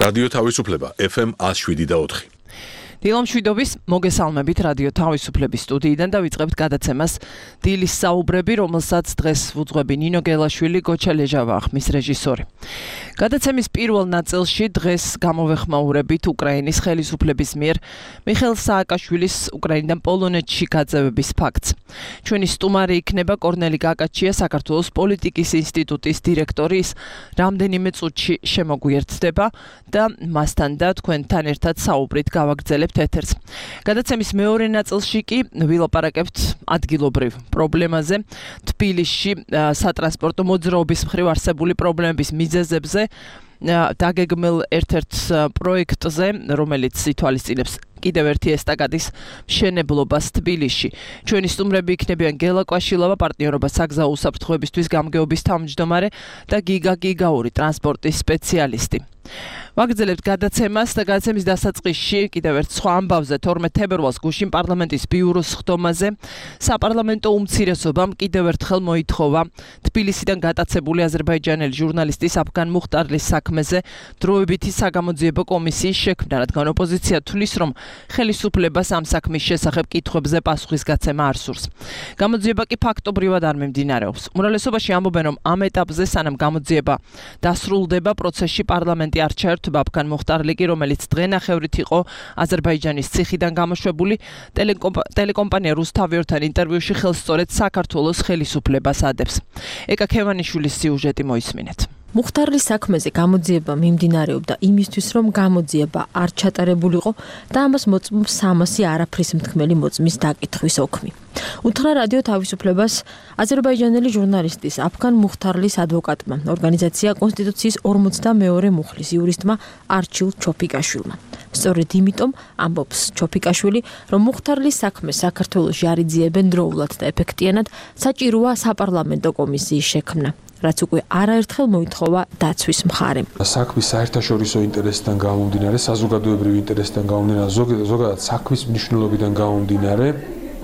რადიო თავისუფლება FM 107.4. დილამშვიდობის მოგესალმებით რადიო თავისუფლების სტუდიიდან და ვიწყებთ გადაცემას დილის საუბრები, რომელსაც დღეს ვუძღვები ნინო გელაშვილი, გოჩა ლეჟავა ხმის რეჟისორი. გადაცემის პირველ ნაწილში დღეს გამოვეხმაურებით უკრაინის ხელისუფლების მიერ მიხეილ სააკაშვილის უკრაინიდან პოლონეთში გაძევების ფაქტს. ჩვენი სტუმარი იქნება კორნელი გაკაჩია, საქართველოს პოლიტიკის ინსტიტუტის დირექტორი, ის რამდენიმე წუთში შემოგვიერთდება და მასთან და თქვენთან ერთად საუბრით გავაგრძელებთ ეთერს. გადაცემის მეორე ნაწილში კი ვილაპარაკებთ ადგილობრივ პრობლემაზე, თბილისში სატრანსპორტო მოძრაობის მხრივ არსებული პრობლემების მიზეზებზე, დაგეგმილ ერთ-ერთ პროექტზე, რომელიც ითვალისწინებს კიდევ ერთი ესტაკადის მშენებლობას თბილისში. ჩვენი სტუმრები იქნებიან გელა კვაშილავა, პარტნიორობა საგზაო უსაფრთხოებისთვის გამგეობის თავმჯდომარე და გიგა გიგაური, ტრანსპორტის სპეციალისტი. ვაგრძელებთ გადაცემას და გადაცემის დასაწყისში კიდევ ერთ სხვა ამბავზე 12 თებერვალს გუშინ პარლამენტის ბიუროს ხდომაზე საპარლამენტო უმცირესობამ კიდევ ერთხელ მოითხოვა თბილისიდან გატაცებული აზერბაიჯანელი ჟურნალისტის აფგან მუხტარლის საქმეზე დროებითი საგამოძიებო კომისიის შექმნა, რადგან ოპოზიცია თვლის, რომ ხელისუფლებას ამ საქმის შესახებ კითხვებზე პასუხისგაცემა არ სურს. გამოძიება კი ფაქტობრივად არ მიმდინარეობს. უმრავლესობაში ამბობენ, რომ ამ ეტაპზე სანამ გამოძიება დასრულდება, პროცესში პარლამენტი არ ჩაერთვება. აფგან მუხტარლიკი, რომელიც დღენახევრით იყო აზერბაიჯანის ციხიდან გამოშვებული, ტელეკომპანია რუსთავიორთან ინტერვიუში ხელსწორედ საქართველოს ხელისუფლებას ადებს. ეკა ქევანიშვილის სიუჟეტი მოისმინეთ. მუხტარლის საქმეზე გამოძიება მიმდინარეობდა იმისთვის, რომ გამოძიება არ ჩატარებულიყო და ამას მოწმობს 300 არაფრის მთქმელი მოწმის დაკითხვის ოქმი. უთხრა რადიო თავისუფლებას აზერბაიჯანელი ჟურნალისტის აფგან მუხტარლის ადვოკატმა, ორგანიზაცია კონსტიტუციის 42 მუხლის იურისტმა არჩილ ჩოფიკაშვილმა. სწორედ იმიტომ ამბობს ჩოფიკაშვილი, რომ მუხტარლის საქმეს საქართველოში არ იძიებენ დროულად და ეფექტიანად, საჭიროა საპარლამენტო კომისიის შექმნა, რაც უკვე არაერთხელ მოითხოვა დაცვის მხარემ. საქმის საერთაშორისო ინტერესიდან გამომდინარე, საზოგადოებრივი ინტერესიდან გამომდინარე, ზოგადად საქმის მნიშვნელობიდან გამომდინარე,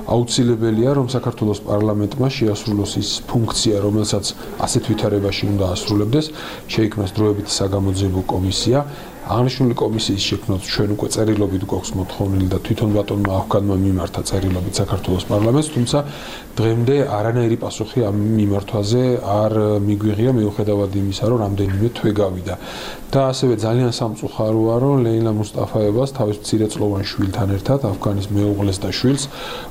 აუცილებელია, რომ საქართველოს პარლამენტმა შეასრულოს ის ფუნქცია, რომელსაც ასეთ ვითარებაში უნდა ასრულებდეს, შეიქმნას დროებითი საგამოძიებო კომისია. აღნიშნული კომისიის შექმნას ჩვენ უკვე წერილობით გვაქვს მოთხოვნილი და თვითონ ბატონმა აფგანმა მიმართა წერილობით საქართველოს პარლამენტს, თუმცა დღემდე არანაირი პასუხი ამ მიმართვაზე არ მიგვიღია, მიუხედავად იმისა, რომ რამდენიმე თვე გავიდა. და ასევე ძალიან სამწუხაროა, რომ ლეილა მუსტაფაევას თავის მცირეწლოვან შვილთან ერთად აფგანის მეუღლეს და შვილს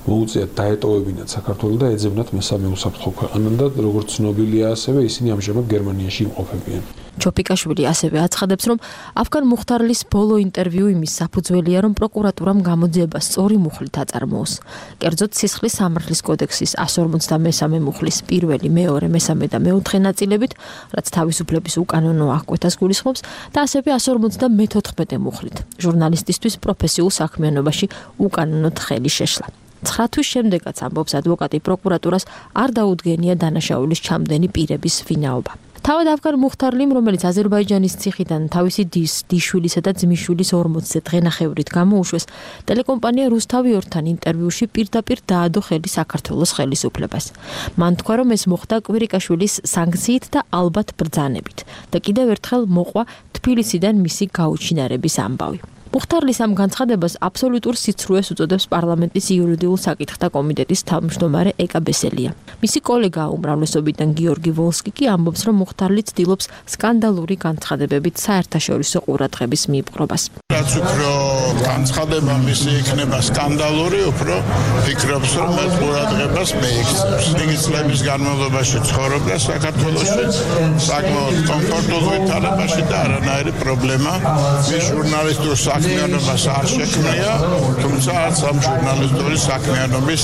მოუწიათ დაეტოვებინათ საქართველოს და ეძებნათ მესამე უსაფრთხო ქვეყანად და როგორც ცნობილია, ასევე ისინი ამჟამად გერმანიაში იმყოფებიან. ჩოფიკაშვილი ასევე აცხადებს, რომ აფგან მუხტარლის ბოლო ინტერვიუ იმის საფუძველია, რომ პროკურატურამ გამოძიება სწორი მუხლით აწარმოოს. კერძოდ სისხლის სამართლის კოდექსის 153 მუხლის პირველი, მეორე, მესამე და მეოთხე ნაწილებით, რაც თავისუფლების უკანონო აღკვეთას გულისხმობს, და ასევე 154 მუხლით, ჟურნალისტისთვის პროფესიულ საქმიანობაში უკანონოდ ხელი შეშლა. 9 თვის შემდეგაც ამბობს ადვოკატი, პროკურატურას არ დაუდგენია დანაშაულის ჩამდენი პირების ვინაობა. თავად აფგან მუხტარლიმ, რომელიც აზერბაიჯანის ციხიდან თავისი დის, დიშვილისა და ძმისშვილის 40-ზე დღენახევრით გამოუშვეს, ტელეკომპანია რუსთავიორთან ინტერვიუში პირდაპირ დაადო ხელი საქართველოს ხელისუფლებას. მან თქვა, რომ ეს მოხდა კვირიკაშვილის სანქციით და ალბათ ბრძანებით და კიდევ ერთხელ მოყვა თბილისიდან მისი გაუჩინარების ამბავი. მუხტარლის ამ განცხადებას აბსოლუტურ სიცრუეს უწოდებს პარლამენტის იურიდიულ საკითხთა კომიტეტის თავმჯდომარე ეკა ბესელია. მისი კოლეგა უმრავლესობიდან გიორგი ვოლსკი კი ამბობს, რომ მუხტარლი ცდილობს სკანდალური განცხადებებით საერთაშორისო ყურადღების მიიპყრობას. რაც უფრო განცხადება მისი იქნება სკანდალური, უფრო ფიქრობს, რომ ეს ყურადღებას მეიქცევს. იგი წლების განმავლობაში ცხოვრობდა საქართველოში, საკმაოდ კომფორტულ ვითარებაში და არანაირი პრობლემა მის ჟურნალისტურ საქმიანობას არ შექმნია, თუმცა არც ამ ჟურნალისტური საქმიანობის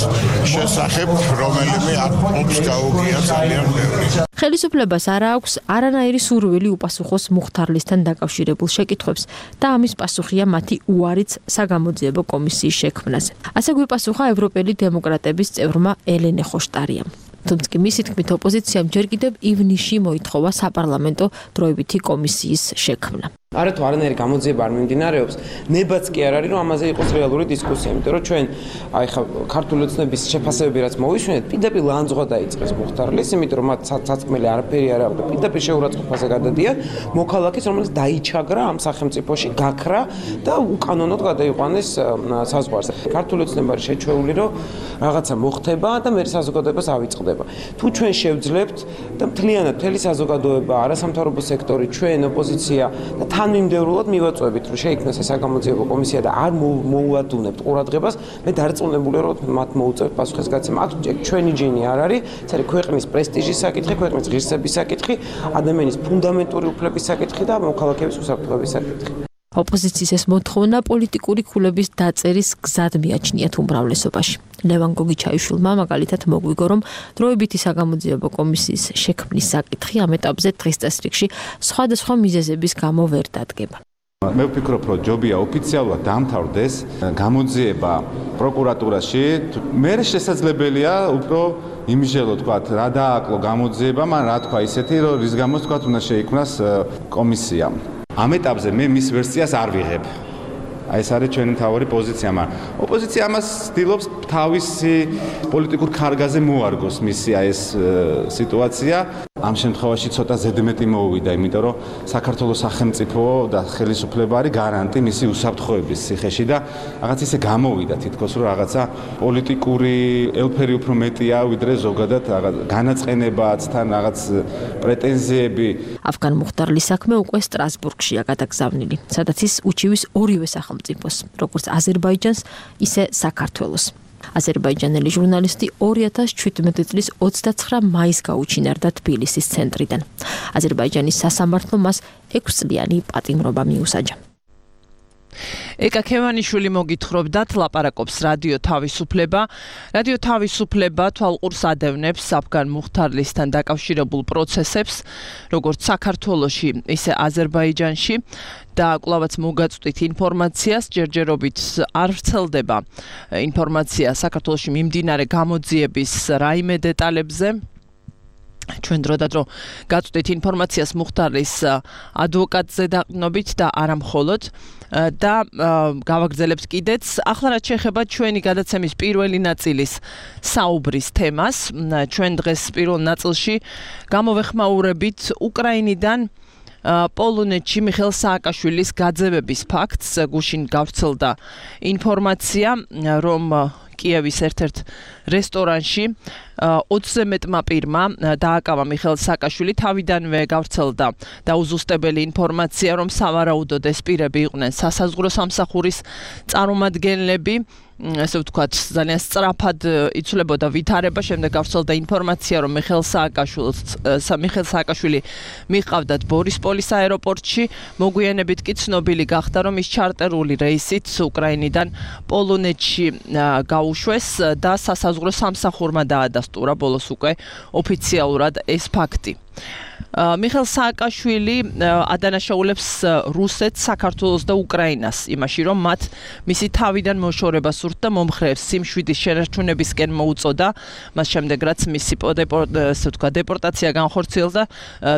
შესახებ რომელიმე ობს გაუგია ძალიან ბევრი. ხელისუფლებას არ აქვს არანაირი სურვილი უპასუხოს მუხტარლისთან დაკავშირებულ შეკითხვებს და ამის პასუხია მათი უარიც საგამოძიებო კომისიის შექმნაზე. ასე გვიპასუხა ევროპელი დემოკრატების წევრმა ელენე ხოშტარიამ. თუმცა მისი თქმით ოპოზიციამ ჯერ კიდევ ივნისში მოითხოვა საპარლამენტო დროებითი კომისიის შექმნა. არა თუ არანაირი გამოძიება არ მიმდინარეობს, ნებაც კი არ არის, რომ ამაზე იყოს რეალური დისკუსია, იმიტომ რომ ჩვენ აი ხა ქართული ოცნების შეფასებები რაც მოვისვენეთ, პირდაპირ ლანძღვა დაიწყეს მუხთარლის, იმიტომ რომ მათ საწმელი არაფერი არ აქვს და პირდაპირ შეურაცხყოფაზე გადადიან მოქალაქეს, რომელიც დაიჩაგრა ამ სახელმწიფოში, გაქრა და უკანონოდ გადაიყვანეს საზღვარზე. ქართული ოცნება არის შეჩვეული, რომ რაღაცა მოხდება და მე საზოგადოებას ავიწყდება. თუ ჩვენ შევძლებთ და მთლიანად მთელი საზოგადოება, არასამთავრობო სექტორი, ჩვენ ოპოზიცია და თანმიმდევრულად მივაწვევით, რომ შეიქმნას ეს საგამოძიებო კომისია და არ მოუადუნებთ ყურადღებას, მე დარწმუნებული ვარ, რომ მათ მოუწევთ პასუხისგაცემა. აქ ჩვენი ჯინი არ არის, ეს არის ქვეყნის პრესტიჟის საკითხი, ქვეყნის ღირსების საკითხი, ადამიანის ფუნდამენტური უფლების საკითხი და მოქალაქეების უსაფრთხოების საკითხი. ოპოზიციის ეს მოთხოვნა პოლიტიკური ქულების დაწერის გზად მიაჩნიათ უმრავლესობაში. ლევან გოგიჩაიშვილმა მაგალითად მოგვიგო, რომ დროებითი საგამოძიებო კომისიის შექმნის საკითხი ამ ეტაპზე დღის წესრიგში სხვადასხვა მიზეზების გამო ვერ დადგება. მე ვფიქრობ, რომ ჯობია ოფიციალურად დამთავრდეს გამოძიება პროკურატურაში. მე შესაძლებელია უფრო იმჟელო თქვა რა დააკლო გამოძიება, მაგრამ რა თქვა ისეთი, რომ რის გამოც თქვა უნდა შეიქმნას კომისია. ამ ეტაპზე მე მის ვერსიას არ ვიღებ. აი ეს არის ჩვენი მთავარი პოზიცია, მაგრამ ოპოზიცია ამას ცდილობს თავისი პოლიტიკურ ქარგაზე მოარგოს მისი აი ეს სიტუაცია. ამ შემთხვევაში ცოტა ზედმეტი მოუვიდა, იმიტომ რომ საქართველოს სახელმწიფო და ხელისუფლება არის გარანტი მისი უსაფრთხოების ციხეში და რაღაც ისე გამოვიდა თითქოს რომ რაღაცა პოლიტიკური ელფერი უფრო მეტია ვიდრე ზოგადად რაღაც განაწყენებაც თან რაღაც პრეტენზიები. Afgan მუხტარლის საქმე უკვე სტრასბურგშია გადაგზავნილი, სადაც ის უჩივის ორივე სახელმწიფოს, როგორც აზერბაიჯანს, ისე საქართველოს. აზერბაიჯანელი ჟურნალისტი 2017 წლის 29 მაისს გაუჩინარდა თბილისის ცენტრიდან. აზერბაიჯანის სასამართლომ მას 6 წლიანი პატიმრობა მიუსაჯა. ეკა ქევანიშვილი მოგითხრობდათ ლაპარაკობს რადიო თავისუფლება. რადიო თავისუფლება თვალყურს ადევნებს Afgan მუხტარლისთან დაკავშირებულ პროცესებს, როგორც საქართველოში, ისე აზერბაიჯანში და კვლავაც მოგაწვდით ინფორმაციას, ჯერჯერობით არ ვრცელდება ინფორმაცია საქართველოში მიმდინარე გამოძიების რაიმე დეტალებზე. ჩვენ დროდადრო გაწვდით ინფორმაციას მუხტარლის ადვოკატზე დაყრდნობით და არა მხოლოდ და გავაგრძელებთ კიდეც. ახლა რაც შეეხება ჩვენი გადაცემის პირველი ნაწილის საუბრის თემას, ჩვენ დღეს პირველ ნაწილში გამოვეხმაურებით უკრაინიდან პოლონეთში მიხეილ სააკაშვილის გაძევების ფაქტს. გუშინ გავრცელდა ინფორმაცია, რომ კიევის ერთ-ერთ რესტორანში 20-ზე მეტმა პირმა დააკავა მიხეილ სააკაშვილი. თავიდანვე გავრცელდა დაუზუსტებელი ინფორმაცია, რომ სავარაუდოდ ეს პირები იყვნენ სასაზღვრო სამსახურის წარმომადგენლები. ესე ვთქვათ, ძალიან სწრაფად იცვლებოდა ვითარება. შემდეგ გავრცელდა ინფორმაცია, რომ მიხეილ სააკაშვილი მიყავდათ ბორისპოლის აეროპორტში. მოგვიანებით კი ცნობილი გახდა, რომ ის ჩარტერული რეისით უკრაინიდან პოლონეთში გაუშვეს და სასაზღვრო სამსახურმა დაადასტურა ბოლოს უკვე ოფიციალურად ეს ფაქტი. მიხეილ სააკაშვილი ადანაშაულებს რუსეთს, საქართველოს და უკრაინას იმაში, რომ მათ მისი თავიდან მოშორება სურთ და მომხრეებს სიმშვიდის შენარჩუნებისკენ მოუწოდა. მას შემდეგ რაც მისი დეპორტაცია განხორციელდა,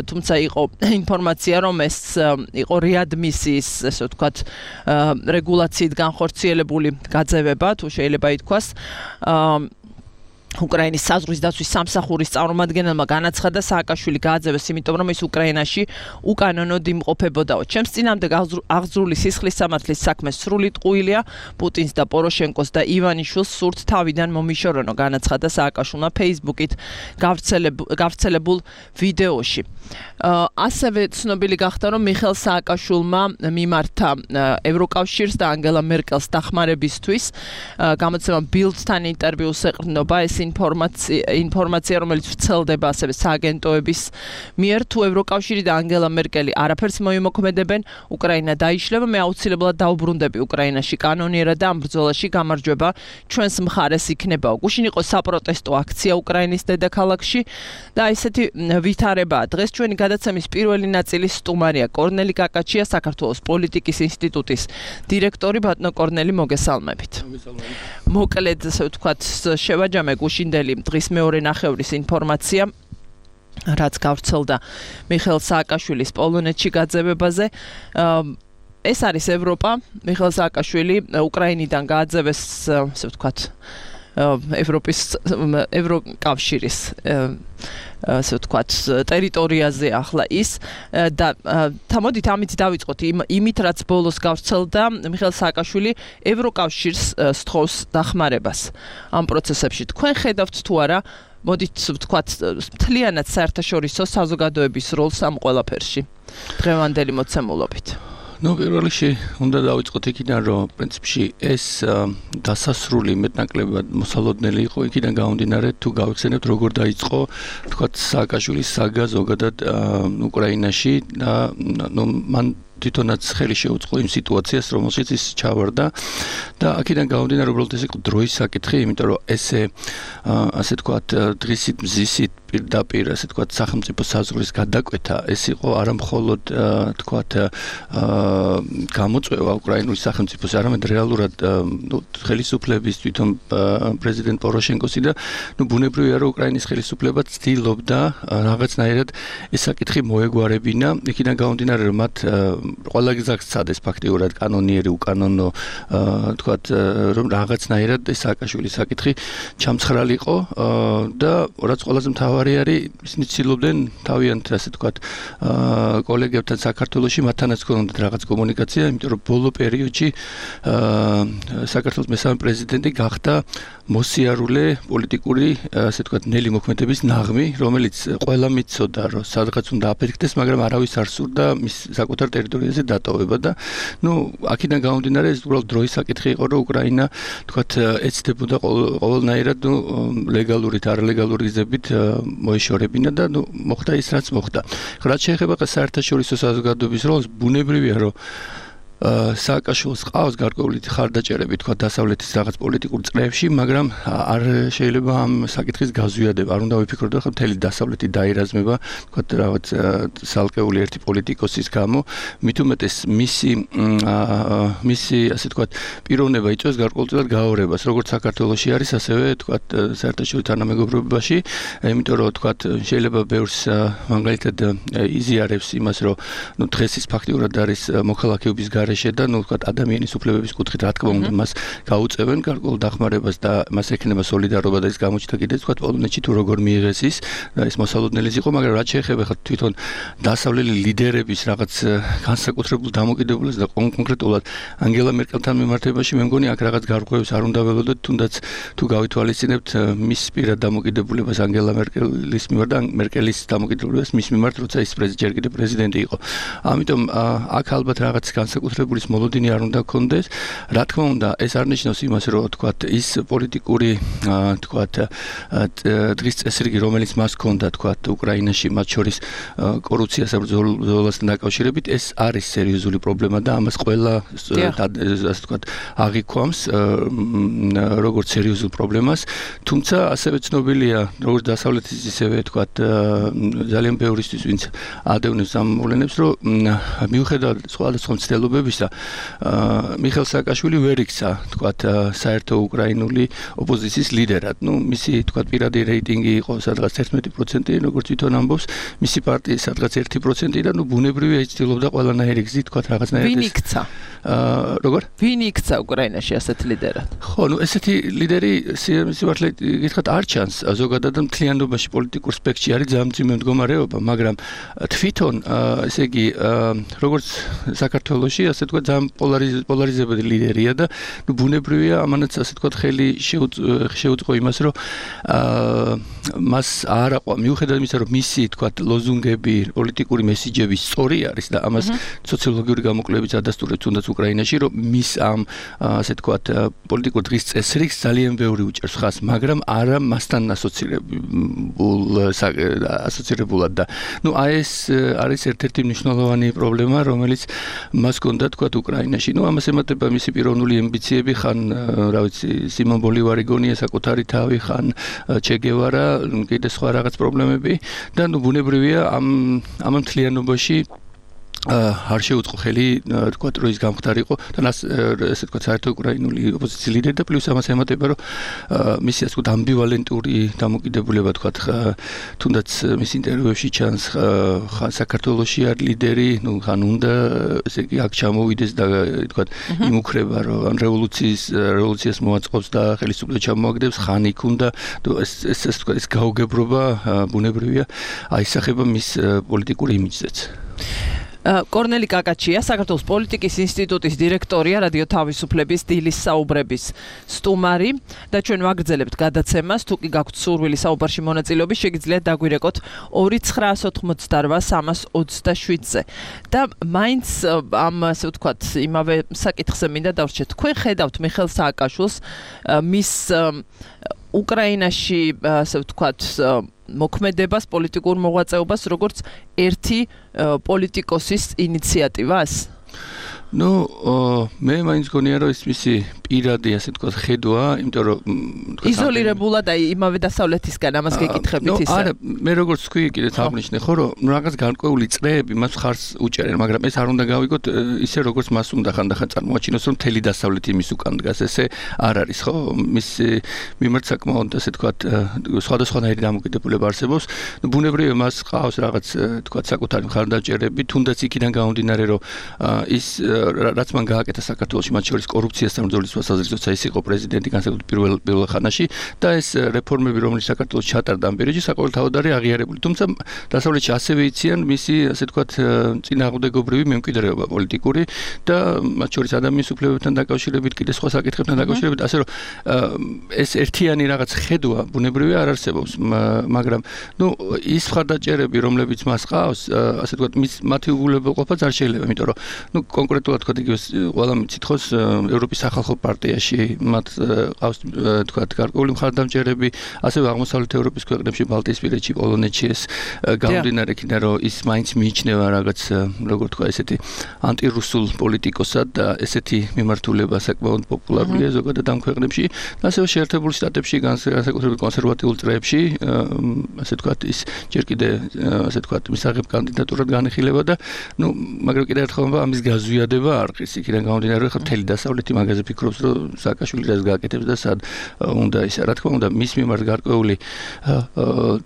თუმცა იყო ინფორმაცია, რომ ეს იყო რეადმისიის, ესე ვთქვათ, რეგულაციით განხორციელებული გაძევება, თუ შეიძლება ითქვას. უკრაინის საზღვრის დაცვის სამსახურის წარმომადგენელმა განაცხადა, სააკაშვილი გააძევეს, იმიტომ რომ ის უკრაინაში უკანონოდ იმყოფებოდაო. ჩემს წინამდე აღძრული სისხლის სამართლის საქმე სრული ტყუილია. პუტინს და პოროშენკოს და ივანიშვილს სურთ თავიდან მომიშორონო, განაცხადა სააკაშვილმა Facebook-ით გავრცელებულ ვიდეოში. ასევე ცნობილი გახდა, რომ მიხეილ სააკაშვილმა მიმართა ევროკავშირს და ანგელა მერკელს დახმარებისთვის. გამოცემა Bild-თან ინტერვიუს ეყრდნობა ეს ინფორმაცია, რომელიც ვრცელდება ასევე სააგენტოების მიერ, თუ ევროკავშირი და ანგელა მერკელი არაფერს მოიმოქმედებენ, უკრაინა დაიშლება, მე აუცილებლად დაუბრუნდები უკრაინაში კანონიერად და ამ ბრძოლაში გამარჯვება ჩვენს მხარეს იქნებაო. გუშინ იყო საპროტესტო აქცია უკრაინის დედაქალაქში და ესეთი ვითარებაა. დღეს ჩვენი გადაცემის პირველი ნაწილის სტუმარია კორნელი კაკაჩია, საქართველოს პოლიტიკის ინსტიტუტის დირექტორი. ბატონო კორნელი, მოგესალმებით. მოკლედ, ასე ვთქვათ, შევაჯამე გუშინდელი დღის მეორე ნახევრის ინფორმაცია. რაც გავრცელდა მიხეილ სააკაშვილის პოლონეთში გაძევებაზე. ეს არის ევროპა. მიხეილ სააკაშვილი უკრაინიდან გააძევეს, ასე ვთქვათ, ევროკავშირის ასე ვთქვათ ტერიტორიაზე ახლა ის და თამოდით ამით დავიწყოთ იმით რაც ბოლოს გავრცელდა მიხეილ სააკაშვილი ევროკავშირს სთხოვს დახმარებას ამ პროცესებში. თქვენ ხედავთ თუ არა, მოდით ვთქვათ, მთლიანად საერთაშორისო საზოგადოების როლს ამ ყველაფერში დღევანდელი მოცემულობით? პირველ რიგში უნდა დავიწყოთ იქიდან, რომ პრინციპში ეს დასასრული მეტნაკლებად მოსალოდნელი იყო იქიდან გამომდინარე, თუ გავიხსენებთ როგორ დაიწყო ვთქვათ სააკაშვილის საგა ზოგადად უკრაინაში და მან თვითონაც ხელი შეუწყო იმ სიტუაციას, რომელშიც ის ჩავარდა და აქედან გამომდინარე, უბრალოდ ეს იყო დროის საკითხი, იმიტომ რომ ესე ასე ვთქვათ დღისით მზისით პირდაპირ ასე ვთქვათ სახელმწიფო საზღვრის გადაკვეთა ეს იყო არა მხოლოდ ვთქვათ გამოწვევა უკრაინული სახელმწიფოს, არამედ რეალურად ხელისუფლების თვითონ პრეზიდენტ პოროშენკოსი და ბუნებრივია რომ უკრაინის ხელისუფლება ცდილობდა რაღაცნაირად ეს საკითხი მოეგვარებინა, იქიდან გამომდინარე რომ მათ ყველა გზას სცადეს ფაქტიურად კანონიერი უკანონო ვთქვათ რომ რაღაცნაირად ეს სააკაშვილის საკითხი ჩამცხრალიყო და რაც ყველაზე მთავარი არის ისინი ცდილობდნენ თავიანთ ასე ვთქვათ კოლეგებთან საქართველოში მათთანაც ქონდათ რაღაც კომუნიკაცია, იმიტომ რომ ბოლო პერიოდში საქართველოს მესამე პრეზიდენტი გახდა მოსიარულე პოლიტიკური ასე ვთქვათ ნელი მოქმედების ნაღმი, რომელიც ყველა მიცოდა რომ სადღაც უნდა აფეთქდეს, მაგრამ არავის არ სურდა მის საკუთარ ტერიტორიაზე დატოვება და აქედან გამომდინარე ეს უბრალოდ დროის საკითხი იყო, რომ უკრაინა ვთქვათ ეცდებოდა ყოველნაირად ლეგალური და არალეგალური გზებით მოეშორებინა და მოხდა ის რაც მოხდა. რაც შეეხება საერთაშორისო საზოგადოების როლს, ბუნებრივია რომ სააკაშვილს ყავს გარკვეული ხარდაჭერები თქვა დასავლეთის რაღაც პოლიტიკურ წრეებში, მაგრამ არ შეიძლება ამ საკითხის გაზვიადება. არ უნდა ვიფიქროთ, რომ მთელი დასავლეთი დაირაზმება თქვა რაღაც სალკეული ერთი პოლიტიკოსის გამო, მით უმეტეს მისი ასე თქვა პიროვნება იწვევს გარკვეულწილად გაორებას, როგორც საქართველოში არის, ასევე თქვა საერთაშორისო თანამეგობრობაში, იმიტომ რომ თქვა შეიძლება ბევრს მაგალითად იზიარებს იმას, რომ დღეს ის ფაქტიურად არის მოქალაქეობის გარეშე და ვთქვათ ადამიანის უფლებების კუთხით რა თქმა უნდა მას გაუწევენ გარკვეულ დახმარებას და მას ექნება სოლიდარობა და ის გამოჩნდა კიდეც ვთქვათ პოლონეთში თუ როგორ მიიღეს ის და ის მოსალოდნელის იყო, მაგრამ რაც შეეხება თვითონ დასავლელი ლიდერების რაღაც განსაკუთრებულ დამოკიდებულებას და კონკრეტულად ანგელა მერკელთან მიმართებაში მე მგონი აქ რაღაც გარღვევებს არ უნდა ველოდოთ, თუნდაც თუ გავითვალისწინებთ მის პირად დამოკიდებულებას ანგელა მერკელის მიმართ და მერკელის დამოკიდებულებას მის მიმართ, როცა ის ჯერ კიდევ პრეზიდენტი იყო. ამიტომ აქ ალბათ რაღაც განსაკუთრებულის მოლოდინი არ უნდა გქონდეს. რა თქმა უნდა, ეს არ ნიშნავს იმას, რომ თქვათ ის პოლიტიკური თქვათ დღის წესრიგი, რომელიც მას ჰქონდა თქვათ უკრაინაში, მათ შორის კორუფციასა ბრძოლასთან დაკავშირებით, ეს არის სერიოზული პრობლემა და ამას ყველა ასე თქვათ აღიქვამს როგორც სერიოზულ პრობლემას. თუმცა ასევე ცნობილია, როგორც დასავლეთის ისევე თქვათ ძალიან ბევრისთვის, ვინც ადევნებს ამ მოვლენებს, რომ მიუხედავად სხვადასხვა მცდელობებისა, მიხეილ სააკაშვილი ვერ იქცა თქვათ საერთო უკრაინული ოპოზიციის ლიდერად. მისი თქვათ პირადი რეიტინგი იყო სადღაც 11%, როგორც თვითონ ამბობს, მისი პარტიის სადღაც 1% და ბუნებრივია ის ცდილობდა ყველანაირი გზით თქვათ რაღაცნაირად ვინ იქცა? როგორ? ვინ იქცა უკრაინაში ასეთ ლიდერად? ხო, ესეთი ლიდერი სიმართლე გითხრათ არ ჩანს ზოგადად მთლიანობაში პოლიტიკურ სპექტრში არის ძალიან მძიმე მდგომარეობა, მაგრამ თვითონ ესე იგი როგორც საქართველოში ასე თქვა ძალიან პოლარიზებული ლიდერია და ბუნებრივია ამანაც ასე თქვა ხელი შეუწყო იმას, რომ მას არ აყვა მიუხედავად იმისა, რომ მისი თქვა ლოზუნგები, პოლიტიკური მესიჯები სწორი არის და ამას სოციოლოგიური გამოკვლევებიც ადასტურებს თუნდაც უკრაინაში, რომ მის ამ ასე თქვა პოლიტიკურ დღის წესრიგს ძალიან ბევრი უჭერს ხაზს, მაგრამ არა მასთან ასოცირებულად და ეს არის ერთ-ერთი მნიშვნელოვანი პრობლემა, რომელიც მას ჰქონდა თქვა უკრაინაში. ამას ემატება მისი პიროვნული ამბიციები, ხან რა ვიცი, სიმონ ბოლივარი გონია საკუთარი თავი, ხან ჩე გევარა, კიდე სხვა რაღაც პრობლემები და ბუნებრივია ამ მთლიანობაში არ შეუწყო ხელი თქვა რომ ის გამხდარიყო და ესე თქვა საერთო უკრაინული ოპოზიციის ლიდერი და პლუს ამას ემატება რომ მისი ასე თქვა ამბივალენტური დამოკიდებულება თქვა თუნდაც მის ინტერვიუებში ჩანს საქართველოში არ ლიდერი ხან უნდა ესე იგი აქ ჩამოვიდეს და თქვა იმუქრება რომ ან რევოლუციას მოაწყობს და ხელისუფლება ჩამოაგდებს ხან იქ უნდა ეს თქვა ეს გაუგებრობა ბუნებრივია აისახება მის პოლიტიკურ იმიჯზეც კორნელი კაკაჩია, საქართველოს პოლიტიკის ინსტიტუტის დირექტორია, რადიო თავისუფლების დილის საუბრების სტუმარი და ჩვენ ვაგრძელებთ გადაცემას, თუ კი გაქვთ სურვილი საუბარში მონაწილეობის, შეგიძლიათ დაგვირეკოთ 298327-ზე. და მაინც ამ ასე ვთქვათ, იმავე საკითხზე მინდა დავრჩეთ. თქვენ ხედავთ მიხეილ სააკაშვილს მის უკრაინაში ასე ვთქვათ მოქმედებას, პოლიტიკურ მოღვაწეობას, როგორც ერთი პოლიტიკოსის ინიციატივას? მე მაინც გონია რომ ის მისი პირადი ასე თქვა ხედვა, იმიტომ რომ იზოლირებულად აი იმავე დასავლეთისგან ამას გეკითხებით ისა. არა, მე როგორც თქვი კიდეც აღნიშნე ხო რომ რაღაც განკვეული წრეები მას ხარს უჭერენ, მაგრამ ეს არ უნდა გავიგოთ ისე როგორც მას უნდა ხანდახან წარმოაჩინოს რომ მთელი დასავლეთი მის უკან დგას, ესე არ არის ხო? მის მიმართ საკმაოდ ასე თქვა სხვადასხვანაირი დამოკიდებულება არსებობს. ბუნებრივია მას ყავს რაღაც თქვა საკუთარი მხარდაჭერები, თუნდაც იქიდან გამომდინარე რომ ის რაც მან გააკეთა საქართველოში, მათ შორის კორუფციასთან ბრძოლის თვალსაზრისით, ის იყო პრეზიდენტი განსაკუთრებით პირველ ხანაში და ეს რეფორმები, რომელიც საქართველოს ჩატარდა ამ პერიოდში, საყოველთაოდ არის აღიარებული. თუმცა დასავლეთში ასევე იციან მისი, ასე ვთქვათ, წინააღმდეგობრივი მემკვიდრეობა პოლიტიკური და მათ შორის ადამიანის უფლებებთან დაკავშირებით, კიდე სხვა საკითხებთან დაკავშირებით, ასე რომ ეს ერთიანი რაღაც ხედვა ბუნებრივია არ არსებობს, მაგრამ ის მხარდაჭერები, რომლებიც მას ყავს, ასე ვთქვათ, მათი უგულებელყოფაც არ შეიძლება, იმიტომ რომ კონკრეტულად თქვა იგივე ყველა მიცითხოს ევროპის სახალხო პარტიაში მათ ყავს თქვა გარკვეული მხარდამჭერები, ასევე აღმოსავლეთ ევროპის ქვეყნებში, ბალტიისპირეთში, პოლონეთში ეს გამომდინარე იქიდან რომ ის მაინც მიიჩნევა რაღაც როგორ თქვა ესეთი ანტირუსულ პოლიტიკოსად და ესეთი მიმართულება საკმაოდ პოპულარულია ზოგადად ამ ქვეყნებში, ასევე შეერთებულ შტატებში, განსაკუთრებით კონსერვატიულ წრეებში, ასე ვთქვათ, ის ჯერ კიდე ასე ვთქვათ, მისაღებ კანდიდატურად განიხილება და მაგრამ კიდევ ერთხელ ამის გაზვიადება არ ყრის იქიდან გამომდინარე რომ მთელი დასავლეთი მაგაზე ფიქრობს რომ სააკაშვილი რას გააკეთებს და სად უნდა ისა რა თქმა უნდა მის მიმართ გარკვეული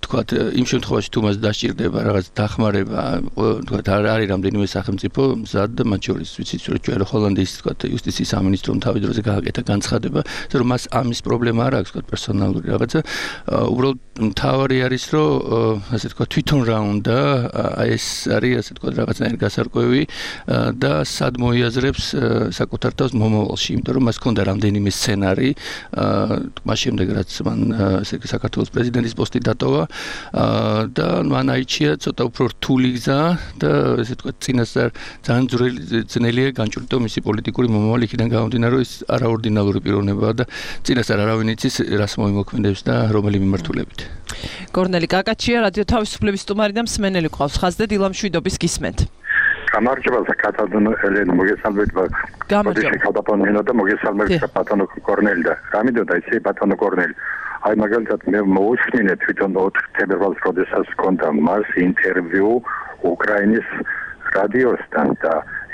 თქვათ იმ შემთხვევაში თუ მას დასჭირდება რაღაც დახმარება თქვათ არ არის რამდენიმე სახელმწიფო მზად და მათ შორის ვიცით რომ ჩვენ ჰოლანდიის თქვათ იუსტიციის სამინისტრომ თავის დროზე გააკეთა განცხადება რომ მას ამის პრობლემა არ აქვს თქვათ პერსონალური რაღაცა უბრალოდ მთავარი არის რომ ასე თქვათ თვითონ რა უნდა ეს არის ასე თქვათ რაღაცნაირი გასარკვევი და სად მოიაზრებს საკუთარ თავს მომავალში, იმიტომ რომ მას ჰქონდა რამდენიმე სცენარი, მას შემდეგ რაც მან საქართველოს პრეზიდენტის პოსტი დატოვა და მან აიჩია ცოტა უფრო რთული გზა და ესე ვთქვათ, წინასწარ ძალიან ძნელია განჭვრიტო მისი პოლიტიკური მომავალი იქიდან გამომდინარე, რომ ის არაორდინალური პიროვნებაა და წინასწარ არავინ იცის რას მოიმოქმედებს და რომელი მიმართულებით. კორნელი კაკაჩია, რადიო თავისუფლების სტუმარი და მსმენელი ყავს ხაზზე დილა მშვიდობის გისმენთ. გამარჯობა საკათალონო ელენ მოგესალმებით გამარჯობა და მოგესალმებით ბატონო კორნელი და რამიდოდა ისე ბატონო კორნელი აი მაგალითად მე მოусმინე თვითონ 4 თებერვალს როდესაც ჰქონდა მას ინტერვიუ უკრაინის რადიოსთან და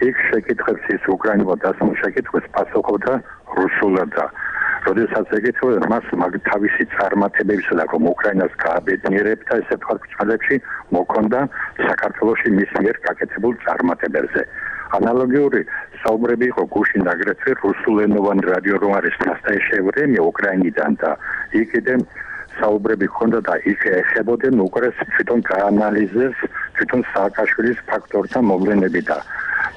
იქ შეკითხებს ის უკრაინულად დასმულ შეკითხვას პასუხობდა რუსულად და როდესაც ეკითხება მას თავისი წარმატებებისა და რომ უკრაინას გააბედნიერებდა ესე ვთქვათ წლებში მოქონდა საქართველოში მის მიერ გაკეთებულ წარმატებებზე. ანალოგიური საუბრები იყო გუშინ აგრეთვე რუსულენოვან რადიო რომ არის ნასტაიშე ვრემია უკრაინიდან და იქიდან საუბრები ჰქონდა და იქ ეხებოდნენ უკრაინას თვითონ გაანალიზეს თვითონ სააკაშვილის ფაქტორთა მოვლენები და